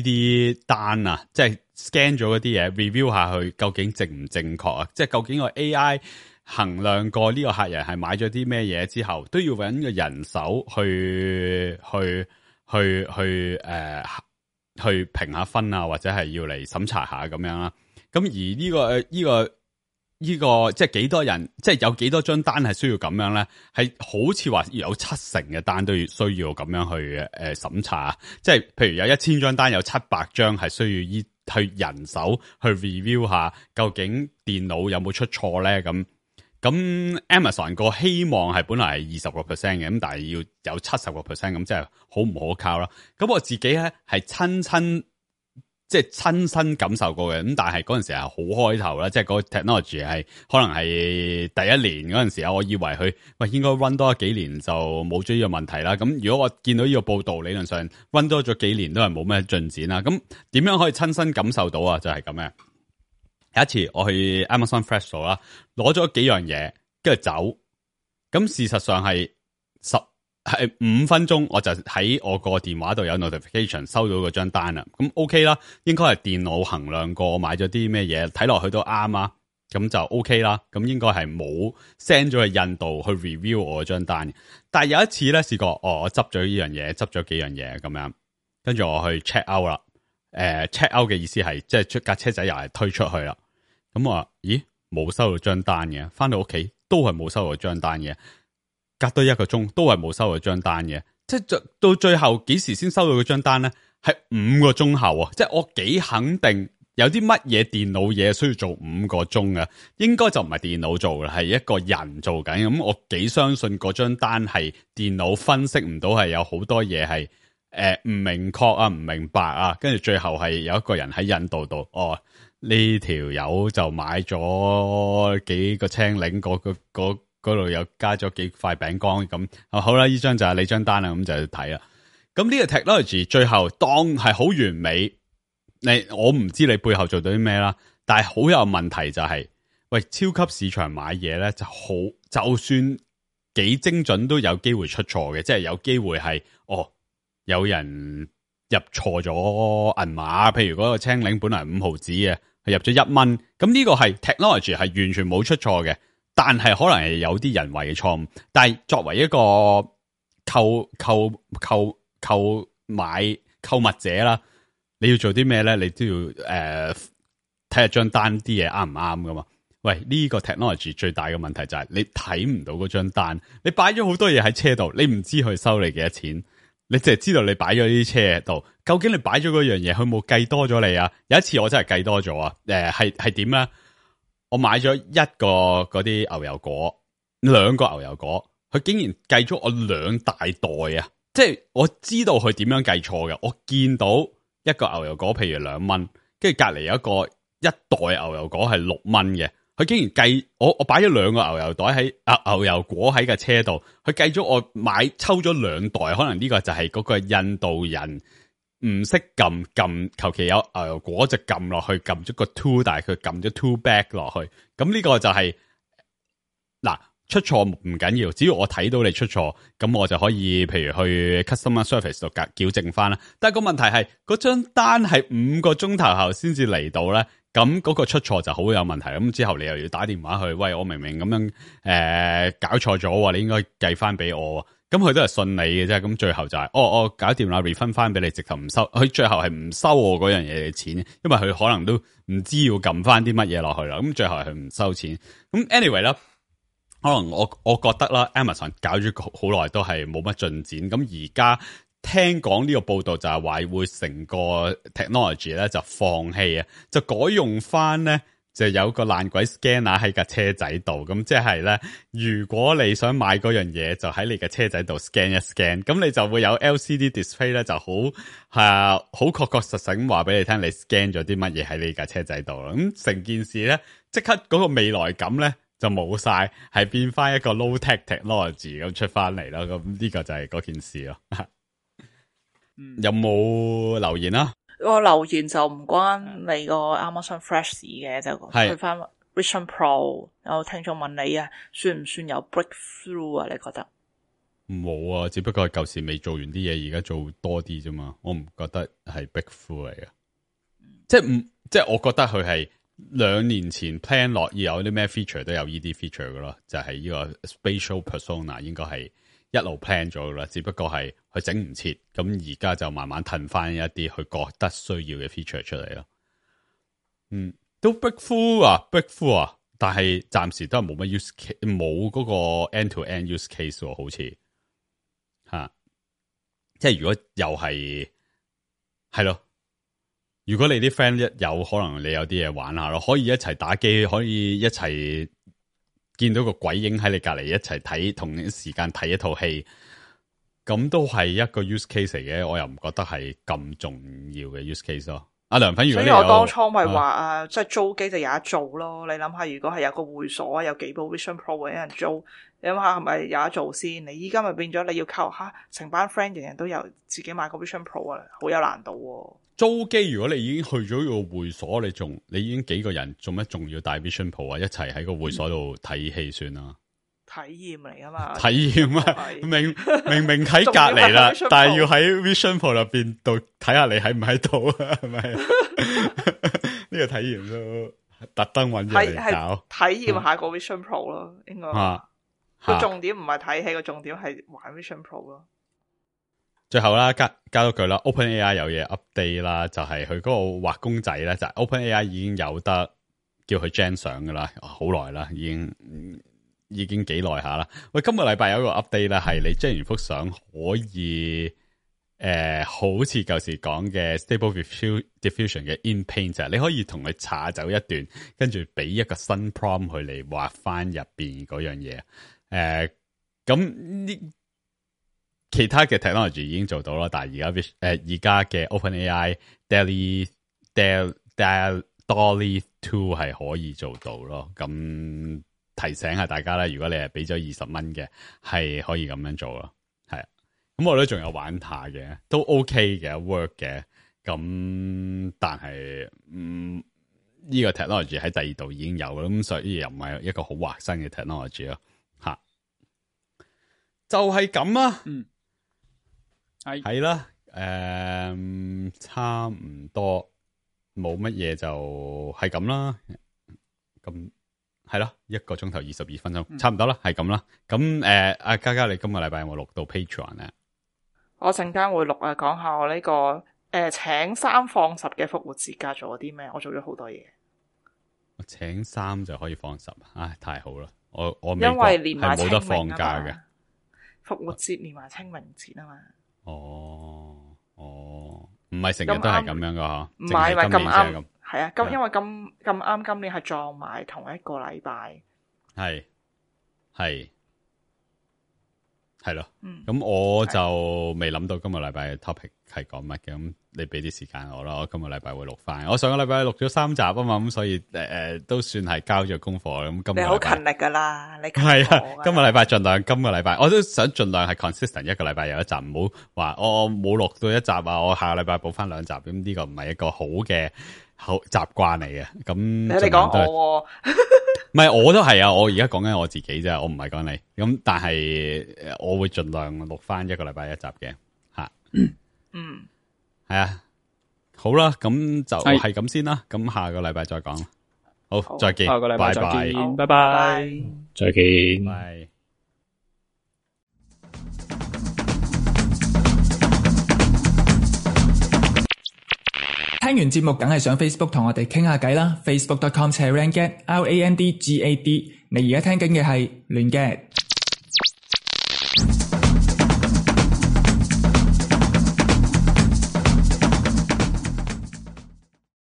[SPEAKER 5] 啲單啊，即係 scan 咗嗰啲嘢 review 下去究竟正唔正確啊？即係究竟個 AI 衡量過呢個客人係買咗啲咩嘢之後，都要揾個人手去評下分啊，或者係要嚟審查下咁樣啦。咁而呢個即係幾多人，即係有幾多張單係需要咁樣咧？係好似話有70%嘅單都要需要咁樣去審查，即係譬如有1000張單，有700張係需要去人手去 review 下，究竟電腦有冇出錯咧？咁 Amazon 個希望係本來係20%嘅，咁但係要有70%，咁即係好唔可靠啦。咁我自己咧係親身感受過嘅，咁但係嗰陣時係好開頭啦，即係嗰個 technology 係可能係第一年嗰陣時啊，我以為佢應該 run 多幾年就冇咗呢個問題啦。咁如果我見到呢個報道，理論上 run 多咗幾年都係冇咩進展啦。咁點樣可以親身感受到啊？就係咁嘅。有一次我去 Amazon Fresh 啦，攞咗幾樣嘢跟住走，咁事實上係係5分鐘我就喺我個電話度有 notification 收到嗰張單啦。咁 OK 啦，應該係電腦衡量過我買咗啲咩嘢，睇落去都啱啊。咁就 OK 啦。咁應該係冇 send 咗去印度去 review 我嗰張單。但係有一次咧試過，我執咗呢樣嘢，執咗幾樣嘢咁樣，跟住我去 check out 啦。check out 嘅意思係即係出架車仔又係推出去啦。咁我話咦冇收到張單嘅，翻到屋企都係冇收到張單嘅。隔多1個鐘都係冇收到張單嘅，即係到最後幾時先收到嗰張單咧？係5個鐘後啊！即係我幾肯定有啲乜嘢電腦嘢需要做5個鐘嘅，應該就唔係電腦做嘅，係一個人做緊。咁我幾相信嗰張單係電腦分析唔到，係有好多嘢係唔明確啊、唔明白啊，跟住最後係有一個人喺印度度，呢條友就買咗幾個青檸嗰度又加咗幾塊餅乾咁，好啦，呢張就係你張單啦，咁就去睇啦。咁呢個 technology 最後當係好完美，我唔知你背後做到啲咩啦，但係好有問題就係，喂，超級市場買嘢咧就算幾精準都有機會出錯嘅，即係有機會係有人入錯咗銀碼，譬如嗰個青檸本來5毫子嘅，係入咗1蚊，咁呢個係 technology 係完全冇出錯嘅。但係可能係有啲人為嘅錯誤，但係作為一個購物者啦，你要做啲咩咧？你都要睇下張單啲嘢啱唔啱噶嘛？喂，呢個 technology 最大嘅問題就係你睇唔到嗰張單，你擺咗好多嘢喺車度，你唔知佢收你幾多錢，你淨係知道你擺咗呢啲車度，究竟你擺咗嗰樣嘢，佢冇計多咗你啊？有一次我真係計多咗啊！係點咧？我買咗1個嗰啲牛油果，2個牛油果，佢竟然計咗我2大袋啊！即係我知道佢點樣計錯嘅，我見到一個牛油果譬如2蚊，跟住隔籬有一袋牛油果係6蚊嘅，佢竟然計我擺咗2個牛油袋喺牛油果喺架車度，佢計咗我抽咗2袋，可能呢個就係嗰個印度人唔識撳，求其有牛油果就撳落去，撳咗個 two， 但係佢撳咗 two back 落去，咁呢個就係嗱，出錯唔緊要，只要我睇到你出錯，咁我就可以譬如去 customer service 度矯正翻啦。但係個問題係嗰張單係5個鐘頭後先至嚟到咧，咁嗰個出錯就好有問題。咁之後你又要打電話去，喂，我明明咁樣搞錯咗，你應該計翻俾我。咁佢都係信你嘅啫，咁最後就係我搞掂啦 refund 翻俾你，直頭唔收，佢最後係唔收我嗰樣嘢嘅錢，因為佢可能都唔知要撳翻啲乜嘢落去啦，咁最後係唔收錢。咁 anyway 啦，可能我覺得啦 ，Amazon 搞咗好耐都係冇乜進展，咁而家聽講呢個報道就係話會成個 technology 咧就放棄啊，就改用翻咧。就有個爛鬼 scanner 喺架車仔度，咁即係咧，如果你想買嗰樣嘢，就喺你嘅車仔度 scan 一 scan，咁你就會有 LCD display 咧，就好確實咁話俾你聽，你 scan 咗啲乜嘢喺你架車仔度啦。咁成件事咧，即刻嗰個未來感咧就冇晒，係變翻一個 low tech technology 咁出翻嚟啦。咁呢個就係嗰件事咯。有冇留言啊？
[SPEAKER 4] 個留言就唔關你個 Amazon Fresh 嘅，就去翻 Vision Pro。有聽眾問你啊，算唔算有 breakthrough 啊？你覺得？
[SPEAKER 5] 冇啊，只不過係舊時未做完啲嘢，而家做多啲啫嘛。我唔覺得係 breakthrough 嚟嘅，即係我覺得佢係2年前 plan 落要有啲咩 feature 都有呢啲 feature 噶咯，就係呢個 spatial persona 應該係一路 plan 咗噶啦，只不過係佢整唔切，咁而家就慢慢褪翻一啲佢覺得需要嘅 feature 出嚟咯。都 breakthrough 啊，但係暫時都係冇乜 use case，冇嗰個 end to end use case 喎，好似即係如果又係咯，如果你啲 friend 一有可能你有啲嘢玩下咯，可以一齊打機，可以一齊見到個鬼影喺你隔籬一齊睇，同一時間睇一套戲，咁都係一個 use case 嚟嘅，我又唔覺得係咁重要嘅 use case 咯。阿梁粉，如果你有，
[SPEAKER 4] 所以我當初咪話即係租機就有得做咯。你諗下，如果係有個會所有幾部 Vision Pro 嘅人租，你諗下係咪有得做先？你依家咪變咗你要靠成班 friend 人人都有自己買個 Vision Pro 啊，好有難度喎。
[SPEAKER 5] 租機如果你已經去咗個會所，你已經幾個人，做乜仲要帶 Vision Pro 啊？一齊喺個會所度睇戲算啦。
[SPEAKER 4] 驗嚟噶嘛？
[SPEAKER 5] 體驗啊，明明喺隔籬啦，但係要喺 Vision Pro 入邊度睇下你喺唔喺度啊？係咪？呢個體驗都特登揾嘢嚟搞，
[SPEAKER 4] 體驗下個 Vision Pro 咯，應該。個重點唔係睇戲，個重點係玩 Vision Pro 咯。
[SPEAKER 5] 最後啦，加多句啦 ，OpenAI 有嘢 update 啦，就係佢嗰個畫公仔咧，就係 OpenAI 已經有得叫佢 gen 相噶啦，好耐啦，已經幾耐下啦。喂，今個禮拜有一個 update 咧，係你 gen 完幅相可以好似舊時講嘅 Stable Diffusion 嘅 In Paint， 你可以同佢查走一段，跟住俾一個新 prompt 佢嚟畫翻入邊嗰樣嘢。咁呢？其他嘅 technology 已經做到啦，但係而家嘅 OpenAI DALL-E 2係可以做到咯。咁提醒下大家啦，如果你係俾咗20蚊嘅，係可以咁樣做咯。係啊，咁我都仲有玩下嘅，都 OK 嘅 work 嘅。咁但係呢個 technology 喺第二度已經有啦，咁所以又唔係一個好劃新嘅 technology 咯。吓，就係咁啊。係啦，差唔多冇乜嘢就係咁啦。咁係咯，1個鐘頭22分鐘，差唔多啦，係咁啦。咁阿嘉嘉，你今個禮拜有冇錄到 Patreon 咧？
[SPEAKER 4] 我陣間會錄啊，講下我呢個請3放10嘅復活節假做咗啲咩？我做咗好多嘢。我
[SPEAKER 5] 請3就可以放10，唉，太好啦！我
[SPEAKER 4] 因為連埋
[SPEAKER 5] 係冇得放假嘅，
[SPEAKER 4] 復活節連埋清明節啊嘛。
[SPEAKER 5] 哦，唔係成日都係咁樣噶吓，
[SPEAKER 4] 唔係咁啱，係啊，因為咁啱今年係撞埋同一個禮拜，係咯，咁我就未諗到今個禮拜嘅 topic 係講乜嘅，咁你俾啲時間我啦，我今個禮拜會錄翻，我上個禮拜錄咗3集啊嘛，咁所以都算係交咗功課啦。咁今個禮拜你好勤力噶啦，你係啊，今個禮拜盡量，今個禮拜我都想盡量係 consistent， 一個禮拜有一集，唔好話我冇錄到一集啊，我下個禮拜補翻2集，咁呢個唔係一個好嘅習慣嚟嘅。咁你講我。唔係，我都係啊！我而家講緊我自己啫，我唔係講你。咁但係我會盡量錄翻一個禮拜一集嘅吓。係啊，好啦，咁就係咁先啦。咁下個禮拜再講。好，再見。下個禮拜再見，拜拜。
[SPEAKER 3] 再見。
[SPEAKER 5] 拜。
[SPEAKER 6] 聽完節目梗係上 Facebook 同我哋傾下偈啦 ，Facebook.com/randgad，RANDGAD。你而家聽緊嘅係亂 gad。